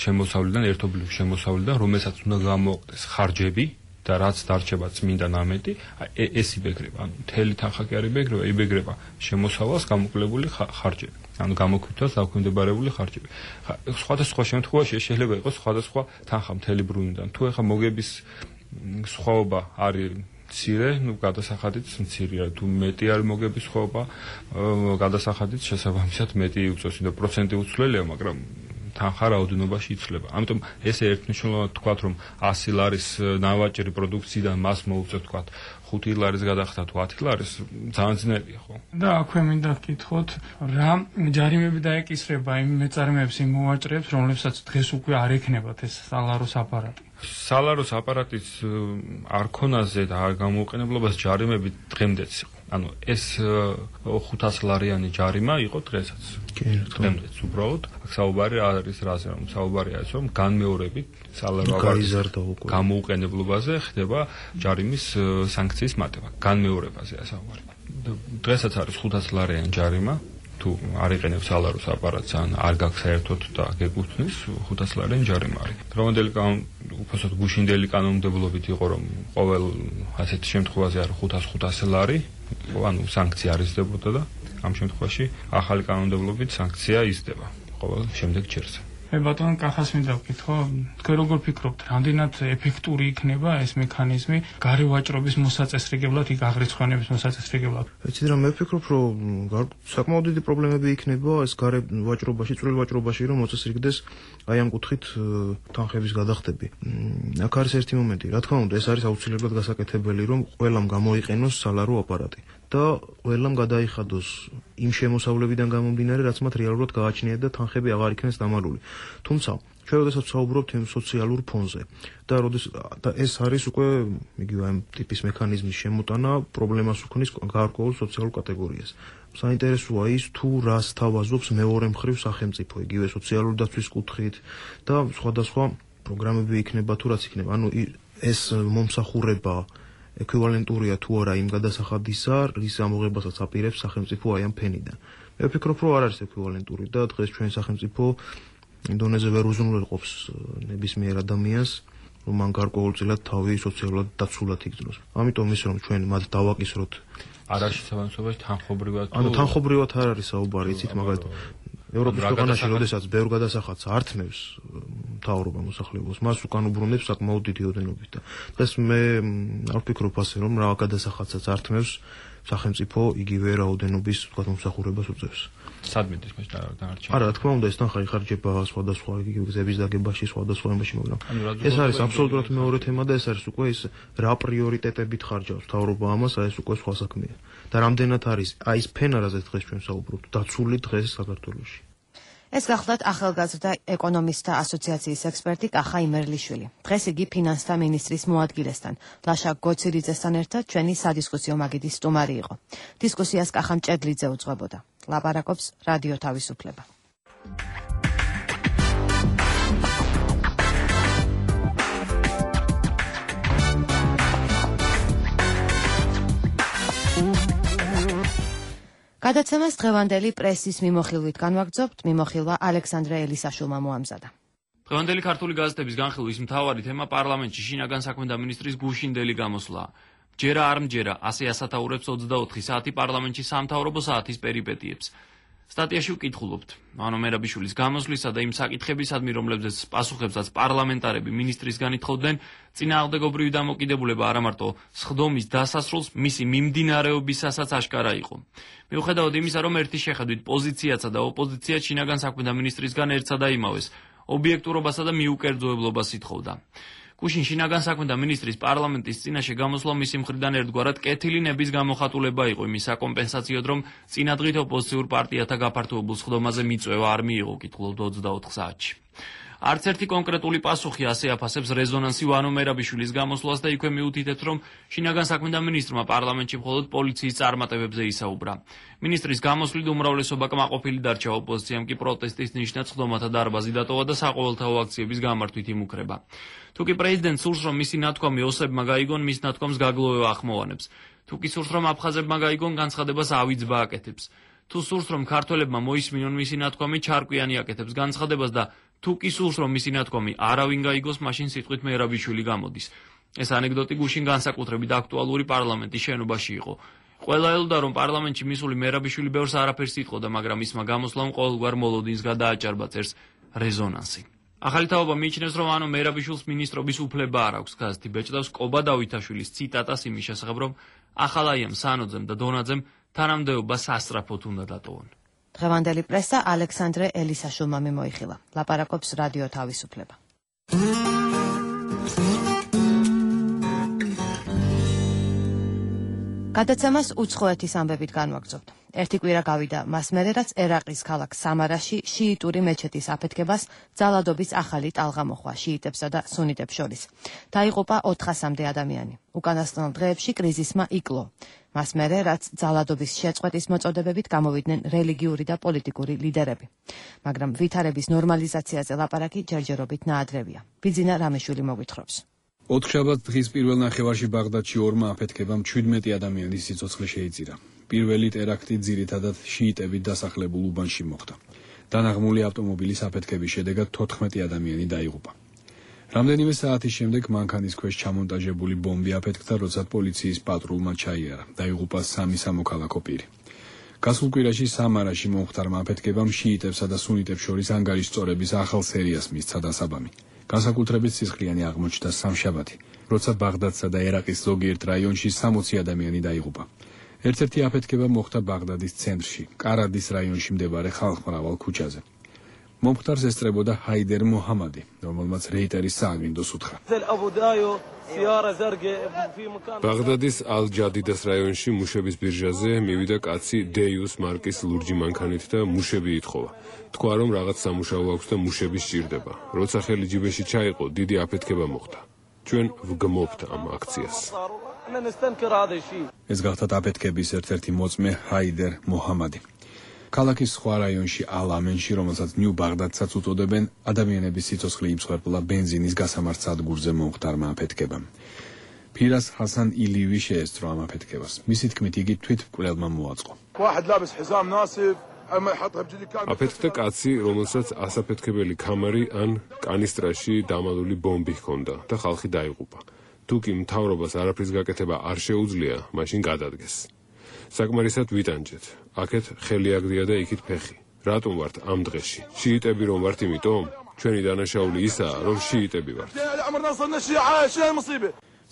შემოსავლიდან, ერთობლივ შემოსავლიდან, რომელსაც უნდა გამოყდეს ხარჯები და რაც დარჩება წმინდა ნამეტი, ეს იბეგრება. ანუ მთელი თანხა კი არ იბეგრება, იბეგრება შემოსავალს გამოკლებული ხარჯები. ანუ გამოკვითას დაქვემდებარებული ხარჯები. სხვადასხვა შემთხვევაში შეიძლება იყოს სხვადასხვა თანხა მთელი ბრუნვიდან. თუ ეხა მოგების სხვაობა არის მცირე, გადასახადიც მცირეა, თუ მეტი არის მოგების სხვაობა, გადასახადიც შესაბამისად მეტი უწევს, და პროცენტი უცვლელია, მაგრამ თანხა რაოდენობაში იცვლება. ამიტომ ესე ერთნიშნულად თქვათ, რომ 100 ლარის ნავაჭრი პროდუქციიდან მას მოუწევთ, თქვათ, 5 ლარის გადახდა თუ 10 ლარის, ძალიან ძნელია, ხო? და აქვე მინდა ვკითხოთ, რა ჯარიმები დაეკისრება იმ მეწარმეებს, იმ მოვაჭრეებს, რომლებსაც დღეს უკვე არ ექნებათ ეს სალაროს აპარატი? სალაროს აპარატის არ ქონაზე და არ გამოუყენებლობას ჯარიმები დღემდეც იყო. ანუ ეს 500 ლარიანი ჯარიმა იყო დღესაც. დღემდეც უბრალოდ საუბარი არის რაზე, რომ საუბარია ის, რომ განმეორებით სალარო აპარატის გამოუყენებლობაზე ხდება ჯარიმის სანქციის მატება. განმეორებაზეა საუბარი. დღესაც არის 500 ლარიანი ჯარიმა. თუ არ იყენებს სალაროს აპარატს ან არ გაქვს საერთოდ და გეკუთვნის 500 ლარიანი ჯარიმა არის. დღევანდელი უბრალოდ გუშინდელი კანონმდებლობით იყო, რომ ყოველ ასეთ შემთხვევაში არის 500 ლარი, ანუ სანქცია არ იზრდებოდა და ამ შემთხვევაში ახალი კანონმდებლობით სანქცია იზრდება ყოველ შემდეგ ჯერზე. მე ბატონ კახას მინდა ვკითხო, თქვენ როგორ ფიქრობთ, რამდენად ეფექტური იქნება ეს მექანიზმი გარევაჭრობის მოსაწესრიგებლად, იქ აღრიცხვანების მოსაწესრიგებლად? ეცით რა მე ვფიქრობ, რომ საკმაოდ დიდი პრობლემები იქნება ეს გარევაჭრობაში, წვრილ ვაჭრობაში, რომ მოწესრიგდეს აი ამ კუთხით თანხების გადახდები. აქ არის ერთი მომენტი, რა თქმა უნდა, ეს არის აუცილებლად გასაკეთებელი, რომ ყველამ გამოიყენოს სალარო აპარატი და ყველამ გადაიხადოს იმ შემოსავლებიდან გამომდინარე, რაც მათ რეალურად გააჩნიათ და თანხები აღარ იქნეს დამალული. თუმცა, ჩვენ როდესაც ვსაუბრობთ იმ სოციალურ ფონზე და ეს არის უკვე იგივე ამ ტიპის მექანიზმის შემოტანა პრობლემას უქმნის გარკვეულ სოციალურ კატეგორიას. საინტერესოა ის, თუ რას თავაზობს მეორე მხრივ სახელმწიფო, იგივე სოციალური დაცვის კუთხით და სხვადასხვა პროგრამები იქნება თუ რაც იქნება. ანუ ეს მომსახურება ეკვივალენტურია თუ არა იმ გადასახადისა, რის ამოღებასაც აპირებს სახელმწიფო აი ამ ფენიდან. მე ვფიქრობ, რომ არ არის ეკვივალენტური და დღეს ჩვენ სახელმწიფო დონეზე ვერ უზრუნველყოფს ნებისმიერ ადამიანს, რომ მან გარკვეულწილად თავი სოციალურად დაცულად იგრძნოს. ამიტომ ის რომ ჩვენ მათ დავაკისროთ არაში სამართლებაში თანხობრივად თანხობრივად არ არის საუბარი, იცით, მაგალითად ევროპის ქვეყანაში, როდესაც ბევრ გადასახადს ართმევს მთავრობა მოსახლეობას, მას უკან უბრუნებს საკმაოდ დიდი ოდენობით და დღეს მე არ ვფიქრობ ასე, რომ რა გადასახადსაც ართმევს სახელმწიფო იგივე რაოდენობის, ვთქვათ, მომსახურებას უწევს. სადმედის մեջ დარჩა. არა, რა თქმა უნდა, ეს თან ხაიხარჯება სხვადასხვა გზების დაგებაში, სხვადასხვა ამაში, მაგრამ ეს არის აბსოლუტურად მეორე თემა და ეს არის უკვე ის რა პრიორიტეტებით ხარჯავს მთავრობა ამას, ეს უკვე სხვა საქმეა. და რამდენად არის აი ეს ფენარაზე დღეს ჩვენ საუბრობთ, დაცული დღეს საქართველოში. ეს გახლავთ ახალგაზრდა ეკონომისტთა ასოციაციის ექსპერტი კახა იმერლიშვილი. დღეს იგი ფინანსთა მინისტრის მოადგილესთან, ლაშა გოცირიძესთან ერთად ჩვენი სადისკუსიო მაგიდის სტუმარი იყო. დისკუსიას კახა მჭედლიძე უძღვებოდა. ლაპარაკობს რადიო თავისუფლება. გადაცემას დღევანდელი პრესის მიმოხილვით განვაგრძობთ, მიმოხილვა ალექსანდრე ელისაშვილმა მოამზადა. დღევანდელი ქართული გაზეთების განხილვის მთავარი თემა პარლამენტში შინაგან საქმეთა მინისტრის გუშინდელი გამოსვლა. ჯერა არ მჯერა, ასე ასათაურებს 24 საათი პარლამენტში სამთავრობო საათის პერიპეტიებს. სტატიაში ვკითხულობთ, მანო მერაბიშვილის გამოსვლისა და იმ საკითხებისადმი, რომლებზეც პასუხებსაც პარლამენტარები მინისტრისგან ითხოვდნენ, წინააღმდეგობრივი დამოკიდებულება არა მარტო სხდომის დასასრულს, მისი მიმდინარეობისასაც აშკარა იყო. მიუხედავად იმისა, რომ ერთი შეხედვით პოზიციაცა და ოპოზიცია შინაგან საქმეთა მინისტრისგან ერთსა და იმავეს, ობიექტურობასა და მიუკერძოებლობას ითხოვდა. გუშინ შინაგან საქმეთა მინისტრის პარლამენტის წინაშე გამოსვლა მისი მხრიდან ერთგვარად კეთილი ნების გამოხატულება იყო იმის საკომპენსაციოდ, რომ წინადღით ოპოზიციურ პარტიათა გაფართოებულ სხდომაზე მიწვევა არ მიიღო, კითხულობთ 24 საათში. არც ერთი კონკრეტული პასუხი ასე აფასებს რეზონანსი ვანო მერაბიშვილის გამოსვლას და იქვე მიუთითებს, რომ შინაგან საქმეთა მინისტრმა პარლამენტში მხოლოდ პოლიციის წარმატებებზე ისაუბრა. მინისტრის გამოსვლით უმრავლესობა კმაყოფილი დარჩა, ოპოზიციამ კი პროტესტის ნიშნად სხდომათა დარბაზი დატოვა და საყოველთაო აქციების გამართვით იმუქრება. თუკი პრეზიდენტს სურს, რომ მისი ნათქვამი ოსებმა გაიგონ, მის ნათქვამს გაგლოვება ახმოვანებს. თუკი სურს, რომ აფხაზებმა გაიგონ, განცხადებას ავიძბა აკეთებს. თუ სურს, რომ ქართველებმა მოისმინონ მისი ნათქვამი, ჩარკვიანი აკეთებს განცხადებას და თუ კი სურს, რომ მისი ნათქვამი არავინ გაიგოს, მაშინ სიტყვით მერაბიშვილი გამოდის. ეს ანეკდოტი გუშინ განსაკუთრებით აქტუალური პარლამენტის შენობაში იყო. ყველა ელოდა, რომ პარლამენტში მისული მერაბიშვილი ბევრს არაფერს იტყოდა, მაგრამ ისმა გამოსვლამ ყოველგვარ მოლოდინს გადააჭარბა, წერს რეზონანსი. ახალი თაობა მიიჩნევს, რომ ანუ მერაბიშვილს მინისტრობის უფლება არ აქვს. გაზეთი ბეჭდავს კობა დავითაშვილის ციტატას იმის შესახებ, რომ ახალაიამ სანოძემ და დონაძემ თანამდებობა სასწრაფოდ უნდა დატოვონ. დღევანდელი პრესა ალექსანდრე ელისაშვილმა მიმოიხილა. ლაპარაკობს რადიო თავისუფლება. გადაცემას უცხოეთის ამბებით განვაგრძობთ. ერთი კვირა გავიდა მას მერე, რაც ერაყის ქალაქ სამარაში შიიტური მეჩეთის აფეთქებას ძალადობის ახალი ტალღა მოხვა შიიტებსა და სუნიტებს შორის. დაიღუპა 400-მდე ადამიანი. უკანასკნელ დღეებში კრიზისმა იკლო. მას მერე, რაც ძალადობის შეწყვეტის მოწოდებებით გამოვიდნენ რელიგიური და პოლიტიკური ლიდერები. მაგრამ ვითარების ნორმალიზაციაზე ლაპარაკი ჯერჯერობით ნაადრევია. ბიძინა რამეშვილი მოგვითხრობს. ოთხშაბათ დღის პირველ ნახევარში ბაღდადში ორმა აფეთქებამ 17 ადამიანის სიცოცხლე შეიწირა. პირველი ტერაქტი ძირითადად შიიტებით დასახლებულ უბანში მოხდა. დანაღმული ავტომობილის აფეთქების შედეგად 14 ადამიანი დაიღუპა. რამდენიმე საათის შემდეგ მანქანის ქვეშ ჩამონტაჟებული ბომბი აფეთქდა, როცა პოლიციის პატრულმა ჩაიარა. დაიღუპა 3 სამოქალაქო პირი. გასულ კვირაში სამარაში მომხდარმა აფეთქებამ შიიტებსა და სუნიტებს შორის ანგარიშწორების ახალ სერიას მისცა დასაბამი. განსაკუთრებით სისხლიანი აღმოჩნდა სამშაბათი, როცა ბაღდადსა და ერაყის ზოგიერთ რაიონში 60 ადამიანი დაიღუპა. ერთ-ერთი აფეთქება მოხდა ბაღდადის ცენტრში, კარადის რაიონში მდებარე ხალხმრავალ ქუჩაზე. მომხდარს ესწრებოდა ჰაიდერ მოჰამადი, რომელმაც რეიტერის სააგენტოს უთხრა. ბაღდადის ალ-ჯადიდას რაიონში მუშების ბირჟაზე მივიდა კაცი დეიუს მარკის ლურჯი მანქანით და მუშები ითხოვა. თქვა, რომ რაღაც სამუშაო აქვს და მუშები სჭირდება. როცა ხელი ჯიბეში ჩაიყო, დიდი აფეთქება მოხდა. ჩვენ ვგმობთ ამ აქციას. ეს გახდა აფეთქების ერთ-ერთი მოწმე ჰაიდერ მოჰამადი. ქალაქის სხვა რაიონში ალ-ამენში, რომელსაც ნიუ ბაღდადსაც უწოდებენ, ადამიანების სიცოცხლე იმსხვერპლა ბენზინის გასამართ სადგურზე მომხდარმა აფეთქებამ. ფირას ჰასან ილივი შეესწრო ამ აფეთქებას. მისი თქმით, იგი თვითმკვლელმა მოაწყო. აფეთქდა კაცი, რომელსაც ასაფეთქებელი ქამარი ან კანისტრაში დამალული ბომბი ჰქონდა და ხალხი დაიღუპა. თუ კი მთავრობას არაფრის გაკეთება არ შეუძლია, მაშინ გადადგეს. საკმარისად ვიტანჯეთ. აქეთ ხელი აგდია და იქით ფეხი. რატომ ვართ ამ დღეში? შიიტები რომ ვართ იმიტომ? ჩვენი დანაშაული ისაა, რომ შიიტები ვართ.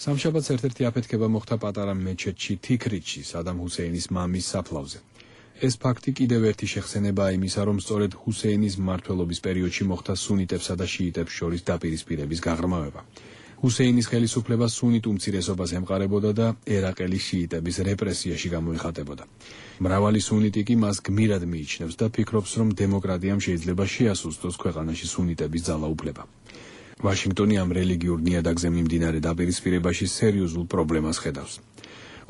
სამშაბათს ერთ-ერთი აფეთქება მოხდა პატარა მეჩეთში თიქრიჩში, სადამ ჰუსეინის მამის საფლავზე. ეს ფაქტი კიდევ ერთი შეხსენებაა იმისა, რომ სწორედ ჰუსეინის მმართველობის პერიოდში მოხდა სუნიტებსა და შიიტებს შორის დაპირისპირების გაღრმავება. ჰუსეინის ხელისუფლება სუნიტ უმცირესობას ემყარებოდა და ერაყელის შიიტების რეპრესიაში გამოიხატებოდა. მრავალი სუნიტი კი მას გმირად მიიჩნევს და ფიქრობს, რომ დემოკრატიამ შეიძლება შეასუსტოს ქვეყანაში სუნიტების ძალაუფლება. ვაშინგტონი ამ რელიგიურ ნიადაგზე მიმდინარე დაპირისპირებაში სერიოზულ პრობლემას ხედავს.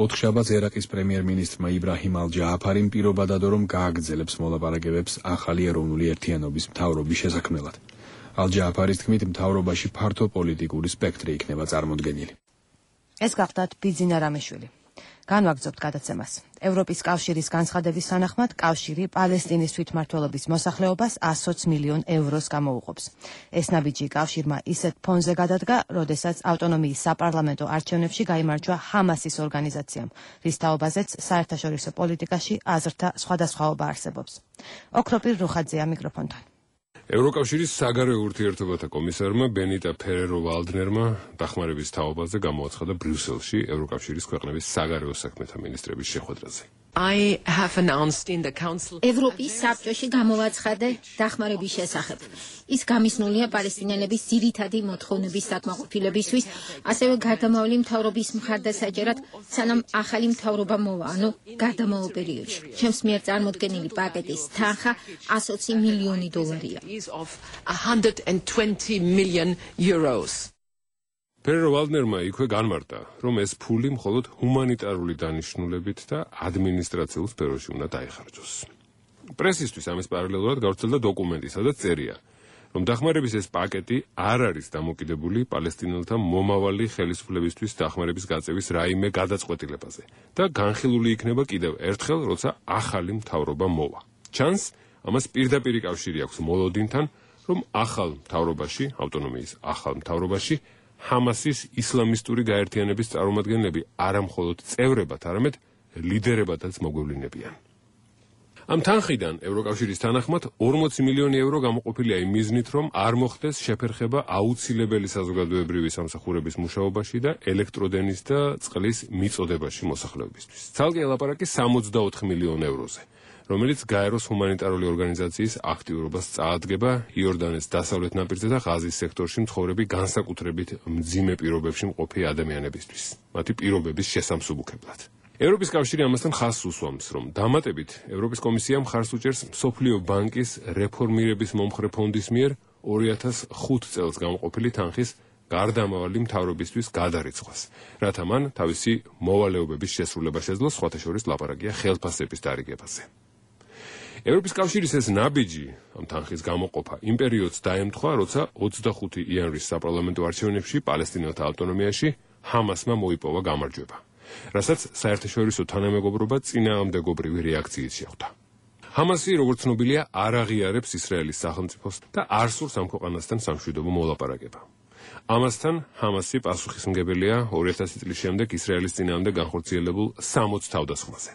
ოთხშაბათს ერაყის პრემიერ-მინისტრმა იბრაჰიმ ალ-ჯააფარიმ პირობა დადო, რომ გააგრძელებს მოლაპარაკებებს ახალი ეროვნული ერთიანობის მთავრობის შესაქმნელად. ალ-ჯააფარის თქმით, მთავრობაში ფართო პოლიტიკური სპექტრი იქნება წარმოდგენილი. ეს გახდათ ბიძინა რამეშვილი. განვაგრძობთ გადაცემას. ევროპის კავშირის განცხადების თანახმად, კავშირი პალესტინის თვითმმართველობის მოსახლეობას 120 მილიონ ევროს გამოუყოფს. ეს ნაბიჯი კავშირმა ისეთ ფონზე გადადგა, როდესაც ავტონომიის საპარლამენტო არჩევნებში გაიმარჯვა ჰამასის ორგანიზაციამ, რის თაობაზეც საერთაშორისო პოლიტიკაში აზრთა სხვადასხვაობა არსებობს. ოქროპირ რუხაძეა მიკროფონთან. ევროკავშირის საგარეო ურთიერთობათა კომისარმა ბენიტა ფერერო-ვალდნერმა დახმარების თაობაზე გამოაცხადა ბრიუსელში ევროკავშირის ქვეყნების საგარეო საქმეთა მინისტრების შეხვედრაზე. ევროპის საბჭოში გამოვაცხადე დახმარების შესახებ. ის გამიზნულია პალესტინელების ძირითადი მოთხოვნების საკმაყოფილებისთვის, ასევე გარდამავალი მთავრობის მხარდასაჭერად, სანამ ახალი მთავრობა მოვა, ანუ გარდამავალ პერიოდში. ჩემს მიერ წარმოდგენილი პაკეტის თანხა 120 მილიონი დოლარია. ფერერო-ვალდნერმა იქვე განმარტა, რომ ეს ფული მხოლოდ ჰუმანიტარული დანიშნულებით და ადმინისტრაციულ სფეროში უნდა დაიხარჯოს. პრესისთვის ამის პარალელურად გავრცელდა დოკუმენტი, სადაც წერია, რომ დახმარების ეს პაკეტი არ არის დამოკიდებული პალესტინელთა მომავალი ხელისუფლებისთვის დახმარების გაწევის რაიმე გადაწყვეტილებაზე და განხილული იქნება კიდევ ერთხელ, როცა ახალი მთავრობა მოვა. ჩანს, ამას პირდაპირი კავშირი აქვს მოლოდინთან, რომ ახალ მთავრობაში, ავტონომიის ახალ მთავრობაში ჰამასის ისლამისტური გაერთიანების წარმომადგენლები არა მხოლოდ წევრებად, არამედ ლიდერებადაც მოგვევლინებიან. ამ თანხიდან ევროკავშირის თანახმად 40 მილიონი ევრო გამოყოფილია იმ მიზნით, რომ არ მოხდეს შეფერხება აუცილებელი საზოგადოებრივი სამსახურების მუშაობაში და ელექტროდენის და წყლის მიწოდებაში მოსახლეობისთვის. ცალკე ელაპარაკი 64 მილიონ ევროზე, რომელიც გაეროს ჰუმანიტარული ორგანიზაციის აქტიურობას წაადგება იორდანეს დასავლეთ ნაპირზე და ღაზის სექტორში მცხოვრები განსაკუთრებით მძიმე პირობებში მყოფი ადამიანებისთვის, მათი პირობების შესამსუბუქებლად. ევროპის კავშირი ამასთან ხაზს უსვამს, რომ დამატებით ევროპის კომისია მხარს უჭერს მსოფლიო ბანკის რეფორმირების მომხრე ფონდის მიერ 2005 წელს გამოყოფილი თანხის გარდამავალი მთავრობისთვის გადარიცხვას, რათა მან თავისი მოვალეობების შესრულება შეძლოს, სხვათა შორის ლაპარაკია ხელფასების დარიგებაზე. ევროპის კავშირის ეს ნაბიჯი, ამ თანხის გამოყოფა, იმ პერიოდს დაემთხვა, როცა 25 იანვრის საპარლამენტო არჩევნებში პალესტინელთა ავტონომიაში ჰამასმა მოიპოვა გამარჯვება, რასაც საერთაშორისო თანამეგობრობა წინააღმდეგობრივი რეაქციით შეხვდა. ჰამასი, როგორც ცნობილია, არ აღიარებს ისრაელის სახელმწიფოს და არ სურს ამ ქვეყანასთან სამშვიდობო მოლაპარაკება. ამასთან ჰამასი პასუხისმგებელია 2000 წლის შემდეგ ისრაელის წინააღმდეგ განხორციელებულ 60 თავდასხმაზე.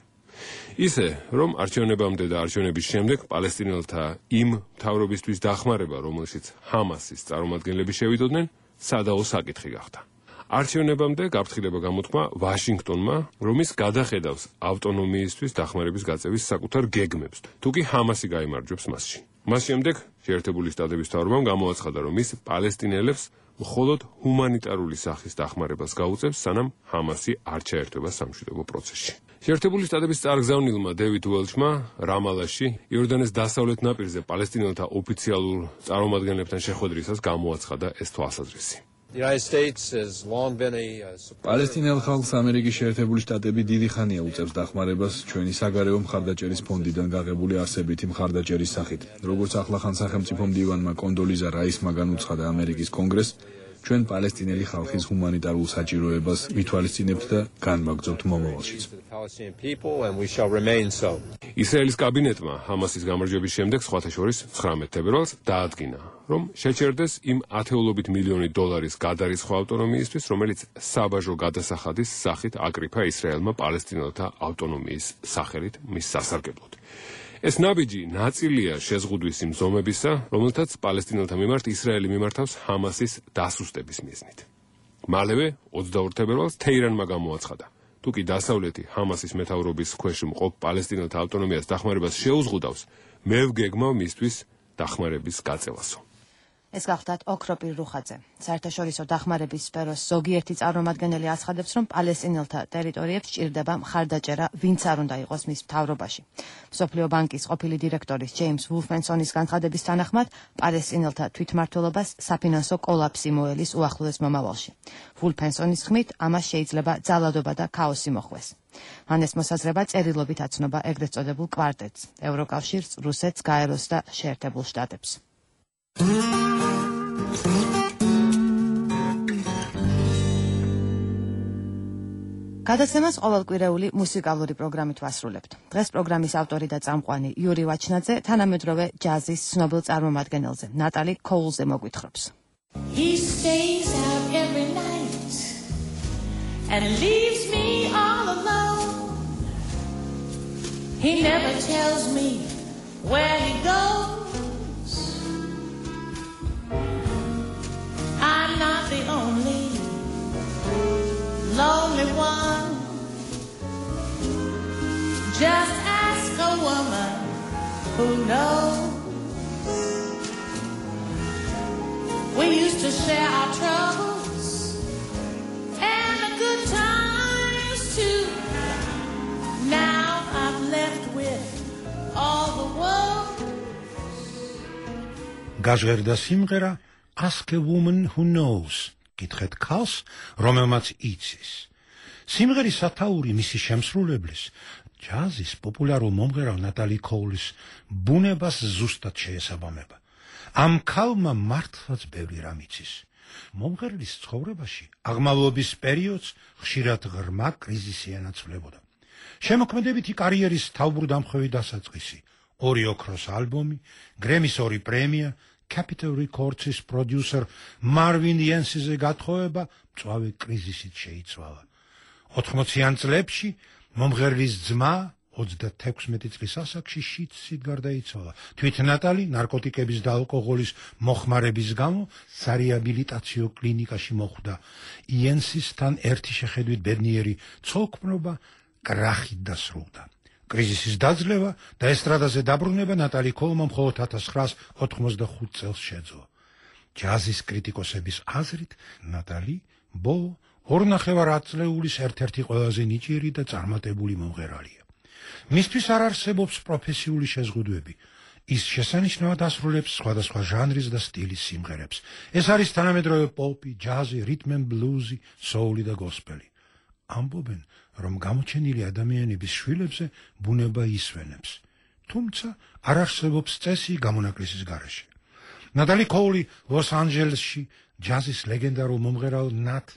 ისე, რომ არჩევნებამდე და არჩევნების შემდეგ პალესტინელთა იმ მთავრობისთვის დახმარება, რომელშიც ჰამასის წარმომადგენლები შევიდოდნენ, სადაო საკითხი გახდა. არჩევნებამდე გაფრთხილება გამოთქმა ვაშინგტონმა, რომ ის გადახედავს ავტონომიისთვის დახმარების გაწევის საკუთარ გეგმებს, თუ კი ჰამასი გაიმარჯვებს მასში. მას შემდეგ შეერთებული შტატების მთავრობამ გამოაცხადა, რომ ის პალესტინელებს მხოლოდ ჰუმანიტარული სახის დახმარებას გაუწევს, სანამ ჰამასი არ ჩაერთვება სამშვიდობო პროცესში. შეერთებული შტატების წარგზავნილმა დევიდ უელჩმა რამალაში იორდანეს დასავლეთ ნაპირზე პალესტინელთა ოფიციალურ წარმომადგენლებთან შეხვედრისას გამოაცხადა ეს თვალსაზრისი. პალესტინელ ხალხს ამერიკის შეერთებული შტატები დიდი ხანია უწევს დახმარებას ჩვენი საგარეო მხარდაჭერის ფონდიდან გაღებული არსებითი მხარდაჭერის სახით. როგორც ახლახან სახელმწიფო მდივანმა კონდოლიზა რაისმა განუცხადა ამერიკის კონგრესს, ჩვენ პალესტინელი ხალხის ჰუმანიტარულ საჭიროებას ვითვალისწინებთ და განვაგრძობთ მომავალშიც. ისრაელის კაბინეტმა ჰამასის გამარჯვების შემდეგ სხვათა შორის 19 თებერვალს დაადგინა, რომ შეჩერდეს იმ ათეულობით მილიონი დოლარის გადარიცხვა ავტონომიისთვის, რომელიც საბაჟო გადასახადის სახით აკრიფა ისრაელმა პალესტინელთა ავტონომიის სახელით მის სასარგებლოდ. ეს ნაბიჯი ნაწილია შეზღუდვის იმ ზომებისა, რომელთაც პალესტინელთა მიმართ ისრაელი მიმართავს ჰამასის დასუსტების მიზნით. მალევე 22 თებერვალს თეირანმა გამოაცხადა, თუ კი დასავლეთი ჰამასის მეთაურობის ქვეშ მყოფ პალესტინელთა ავტონომიას დახმარებას შეუზღუდავს, მე ვგეგმავ მისთვის დახმარების გაწევასო. ეს გახლდათ ოქროპირ რუხაძე. საერთაშორისო დახმარების სფეროს ზოგიერთი წარმომადგენელი აცხადებს, რომ პალესტინელთა ტერიტორიებს სჭირდება მხარდაჭერა, ვინც არ უნდა იყოს მის მთავრობაში. მსოფლიო ბანკის ყოფილი დირექტორის ჯეიმს ვულფენსონის განცხადების თანახმად, პალესტინელთა თვითმმართველობას საფინანსო კოლაფსი მოელის უახლოეს მომავალში. ვულფენსონის ხმით, ამას შეიძლება ძალადობა და ქაოსი მოხვეს. მან ეს მოსაზრება წერილობით აცნობა ეგრეთ წოდებულ კვარტეტს, ევროკავშირს, რუსეთს, გაეროს და შეერთებულ შტატებს. გადაცემას ყოველკვირეული მუსიკალური პროგრამით ვასრულებთ. დღეს პროგრამის ავტორი და წამყვანი იური ვაჩნაძე თანამედროვე ჯაზის ცნობილ წარმომადგენელზე, ნატალი კოულზე მოგვითხრობს. He stays out every night and leaves me all alone. He never tells me where he goes. I'm not the only lonely one. Just ask a woman who knows. We used to share our troubles and the good times too. Now I'm left with all the woes. Გაჟღერდა სიმღერა Ask a woman who knows. კითხეთ ქალს, რომელმაც იცის. სიმღერის სათაური მისი შემსრულებლის, ჯაზის პოპულარულ მომღერალ ნატალი კოულის ბუნებას ზუსტად შეესაბამება. ამ ქალმა მართლაც ბევრი რამ იცის. მომღერლის ცხოვრებაში აღმავლობის პერიოდს ხშირად ღრმა კრიზისი ენაცვლებოდა. შემოქმედებითი კარიერის თავბრუდამხვევი დასაწყისი, 2 ოქროს ალბომი, გრემის 2 პრემია, Capitol Records-ის პროდიუსერ მარვინ იენსიზე გათხოვება მწვავე კრიზისით შეიცვალა. 80-იან წლებში მომღერლის ძმა 36 წლის ასაკში შიდსით გარდაიცვალა. თვით ნატალი ნარკოტიკების და ალკოჰოლის მოხმარების გამო სარეაბილიტაციო კლინიკაში მოხვდა. იენსისთან ერთი შეხედვით ბედნიერი ცოლქმრობა კრახით დასრულდა. კრიზისის დაძლევა და ესტრადაზე დაბრუნება ნატალი კოლმა მხოლოდ 1985 წელს შეძლო. ჯაზის კრიტიკოსების აზრით, ნატალი ბოლო 2.5 ათწლეულის ერთ-ერთი ყველაზე ნიჭიერი და წარმატებული მომღერალია. მისთვის არ არსებობს პროფესიული შეზღუდვები. ის შესანიშნავად ასრულებს სხვადასხვა ჟანრის და სტილის სიმღერებს. ეს არის თანამედროვე პოპი, ჯაზი, რიტმ ენ ბლუზი, soul-ი და გოსპელი. ამბობენ, რომ გამოჩენილი ადამიანების შვილებზე ბუნება ისვენებს. თუმცა არ არსებობს წესი გამონაკლისის გარეშე. ნატალი კოული ლოს-ანჯელესში ჯაზის ლეგენდარულ მომღერალ ნატ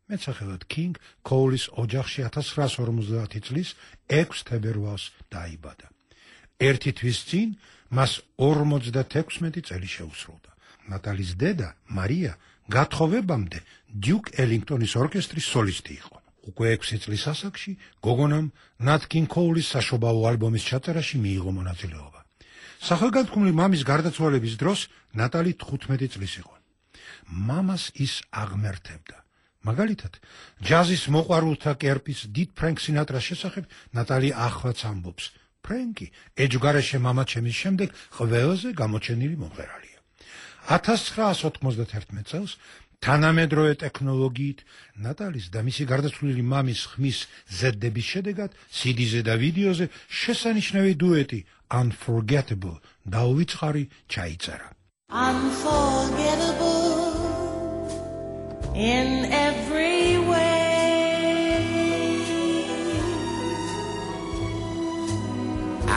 მეცახელად კინგ კოულის ოჯახში 1950 წლის 6 თებერვალს დაიბადა. ერთი თვის წინ მას 56 წელი შეუსრულდა. ნატალის დედა მარია გათხოვებამდე დიუკ ელინგტონის ორკესტრის სოლისტი იყო. უკვე 6 წლის ასაკში გოგონამ ნატ კინგ კოულის საშობაო ალბომის ჩაწერაში მიიღო მონაწილეობა. სახელგანთქმული მამის გარდაცვალების დროს ნატალი 15 წლის იყო. მამას ის აღმერთებდა. მაგალითად, ჯაზის მოყვარულთა კერპის დიდ ფრენკ სინატრას შესახებ ნატალი ახლაც ამბობს. ფრენკი ეჯგარეშე მამაჩემის შემდეგ ყველაზე გამოჩენილი მომღერალია. 1991 წელს თანამედროვე ტექნოლოგიით ნატალის და მისი გარდაცვლილი მამის ხმის ზედდების შედეგად CD-ზე და ვიდეოზე შესანიშნავი დუეტი Unforgettable დაუვიწყარი ჩაიწერა. Unforgettable in every way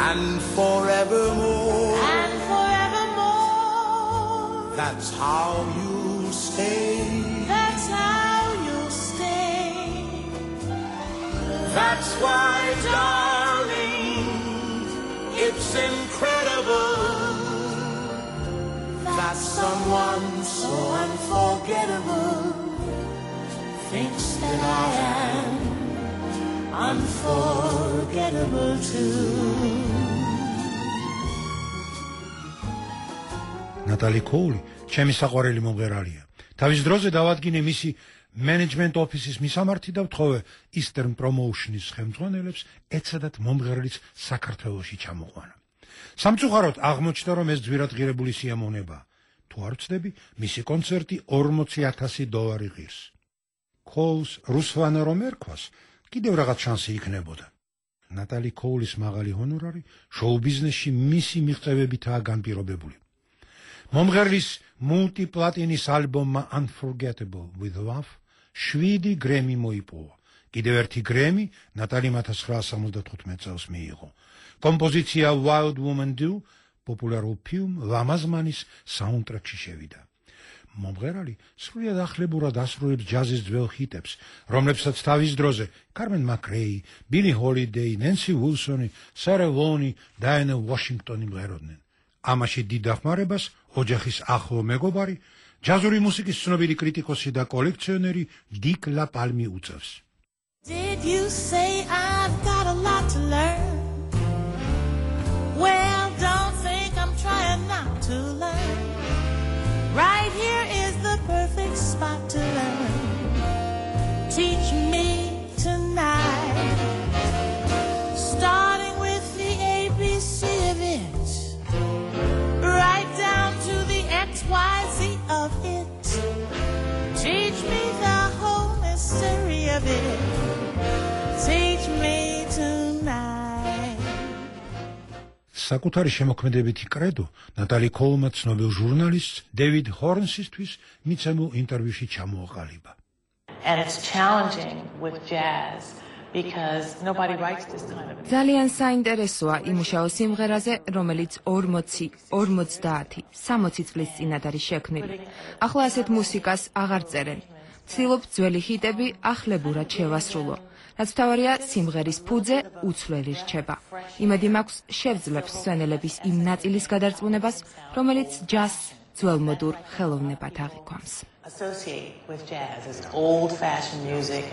and forevermore and forevermore that's how you stay That's why, darling, it's incredible that someone so unforgettable thinks that I am unforgettable too. ნატალი კოული, ჩემი საყვარელი მომღერალია. თავის დროზე დავადგინე მისი Management Office-ის მისამართი და ვთხოვე Eastern Promotion-ის ხელმძღვანელებს ეცადათ მომღერლის საქართველოში ჩამოყვანა. სამწუხაროდ აღმოჩნდა, რომ ეს ძვირად ღირებული სიამოვნებაა. თუ არ ვცდები, მისი კონცერტი $40,000 ღირს. კოულს რუსვანა რომ ერქვას, კიდევ რაღაც შანსი იქნებოდა. ნატალი კოულის მაღალი ჰონორარი შოუ ბიზნესში მისი მიღწევებითაა განპირობებული. მომღერლის მულტიპლატინის ალბომმა Unforgettable with Love 7 გრემი მოიპოვა. კიდევ ერთი გრემი ნატალიმ 1975 წელს მიიღო. კომპოზიცია Wild Woman Do პოპულარულ ფილმ ლამაზმანის საუნდტრეკში შევიდა. მომღერალი სრულიად ახლებურად ასრულებს ჯაზის ძველ ჰიტებს, რომლებსაც თავის დროზე Carmen McRae, Billie Holiday, Nancy Wilson, Sarah Vaughan, Diana Washington იმღეროდნენ. ამაში დიდ დახმარებას ოჯახის ახლო მეგობარი, ჯაზური მუსიკის ცნობილი კრიტიკოსი და კოლექციონერი დიკ ლაპალმი უწევს. Did you say I've got a lot to learn? Well, don't think I'm trying not to learn. Right here is the perfect spot to learn. Teach me tonight. Starting with the ABC of it. Right down to the XYZ of it. Teach me the whole mystery of it. Teach me tonight. საკუთარი შემოქმედებითი კრედო ნატალი კოულმა ცნობილ ჟურნალისტ დევიდ ჰორნსისთვის მიცემულ ინტერვიუში ჩამოაყალიბა. And it's challenging with jazz. Because nobody writes this kind of ძალიან საინტერესოა იმუშაო სიმღერაზე, რომელიც 40, 50, 60 წლის წინათ არის შექმნილი. ახლა ასეთ მუსიკას აღარ წერენ. ვცდილობ ძველი ჰიტები ახლებურად შევასრულო. რაც თავარია სიმღერის ფუძე უცვლელი რჩება. იმედი მაქვს შევძლებს სვენელების იმ ნაწილის გადარწმუნებას, რომელიც ჯაზს ძველმოდურ ხელოვნებად აღიქვამს. associate with jazz as old-fashioned music.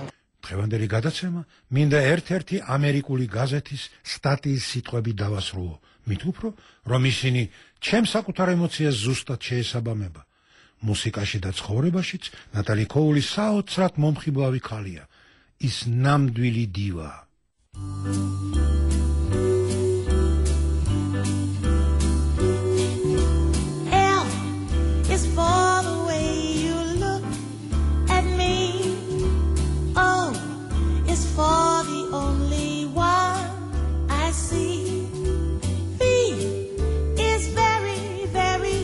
დღევანდელი გადაცემა მინდა ერთ-ერთი ამერიკული გაზეთის სტატიის სიტყვები დავასრულო, მით უფრო, რომ ისინი ჩემს საკუთარ ემოციას ზუსტად შეესაბამება. მუსიკაში და ცხოვრებაშიც ნატალი კოული საოცრად მომხიბლავი ქალია, ის ნამდვილი დივა. L is for the way you look at me. O is for the only one I see. V is very, very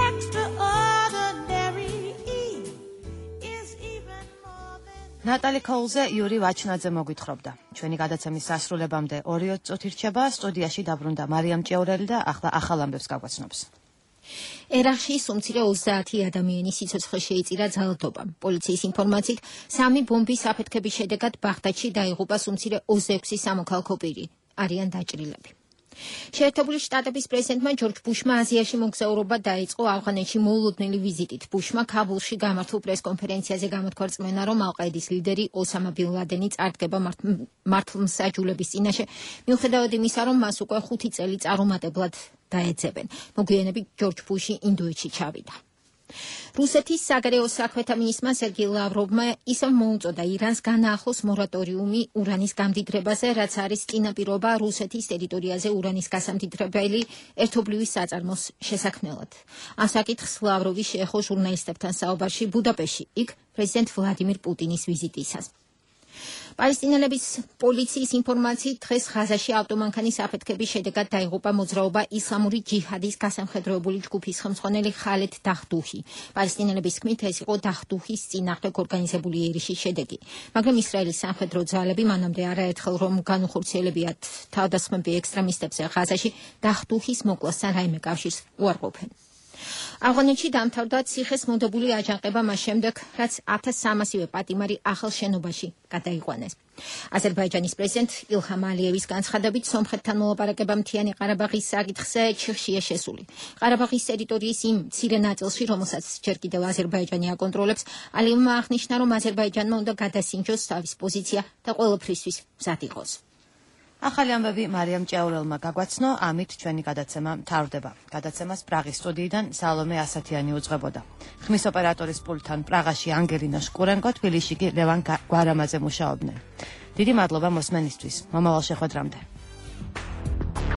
extraordinary. E is even more than... ნატალი კოულზე იური ვაჩნაძე მოგვითხრობდა. ჩვენი გადაცემის სასრულებამდე 2 წუთი რჩება, სტუდიაში დაბრუნდა მარიამ ჭეურელი და ახლა ახალ ამბებს გაგვაცნობს. ერაყში უმცირე 30 ადამიანის სიცოცხლე შეიწირა ძალადობამ. პოლიციის ინფორმაციით, 3 ბომბის აფეთქების შედეგად ბაღდადში დაიღუპა უმცირე 26 სამოქალაქო პირი. არიან დაჭრილები. შეერთებული შტატების პრეზიდენტმა ჯორჯ ბუშმა აზიაში მოგზაურობა დაიწყო ავღანეთში მოულოდნელი ვიზიტით. ბუშმა ქაბულში გამართულ პრესკონფერენციაზე გამოთქვა რწმენა, რომ ალ-ყაიდის ლიდერი ოსამა ბინ ლადენი წარდგება მართლმსაჯულების წინაშე, მიუხედავად იმისა, რომ მას უკვე 5 წელი წარუმატებლად დაეძებენ. მოგვიანებით ჯორჯ ბუში ინდოეთში ჩავიდა. რუსეთის საგარეო საქმეთა მინისტრმა სერგეი ლავროვმა ისევ მოუწოდა ირანს განაახლოს მორატორიუმი ურანის გამდიდრებაზე, რაც არის წინაპირობა რუსეთის ტერიტორიაზე ურანის გასამდიდრებელი ერთობლივი საწარმოს შესაქმნელად. ამ საკითხს ლავროვი შეეხო ჟურნალისტებთან საუბარში ბუდაპეშტში, იქ პრეზიდენტ ვლადიმირ პუტინის ვიზიტისას. პალესტინელების პოლიციის ინფორმაციით დღეს ღაზაში ავტომანქანის აფეთქების შედეგად დაიღუპა მოძრაობა ისლამური ჯიჰადის გასამხედროებული ჯგუფის ხელმძღვანელი ხალედ დაჰდუჰი. პალესტინელების თქმით, ეს იყო დაჰდუჰის წინააღმდეგ ორგანიზებული ერიშის შედეგი. მაგრამ ისრაელის სამხედრო ძალები მანამდე არაერთხელ რომ განუხორციელებიათ თავდასხმები ექსტრემისტებზე ღაზაში, დაჰდუჰის მოკლასთან რაიმე კავშირს უარყოფენ. ავღანეთში დამთავრდა ციხეს მოდებული აჯანყება მას შემდეგ, რაც 1300-ივე პატიმარი ახალ შენობაში გადაიყვანეს. აზერბაიჯანის პრეზიდენტ ილჰამ ალიევის განცხადებით, სომხეთთან მოლაპარაკება მთიანი ყარაბაღის საკითხზე ჩიხშია შესული. ყარაბაღის ტერიტორიის იმ მცირე ნაწილში, რომელსაც ჯერ კიდევ აზერბაიჯანი აკონტროლებს, ალიევმა აღნიშნა, რომ აზერბაიჯანმა უნდა გადასინჯოს თავის პოზიცია და ყველაფრისთვის მზად იყოს. ახალი ამბები მარიამ ჭეურელმა გაგვაცნო, ამით ჩვენი გადაცემა მთავრდება. გადაცემას პრაღის სტუდიიდან სალომე ასათიანი უძღვებოდა. ხმის ოპერატორის პულტთან პრაღაში ანგელინა შკურენკო, თბილისში კი ლევან გვარამაძე მუშაობდნენ. დიდი მადლობა მოსმენისთვის. მომავალ შეხვედრამდე.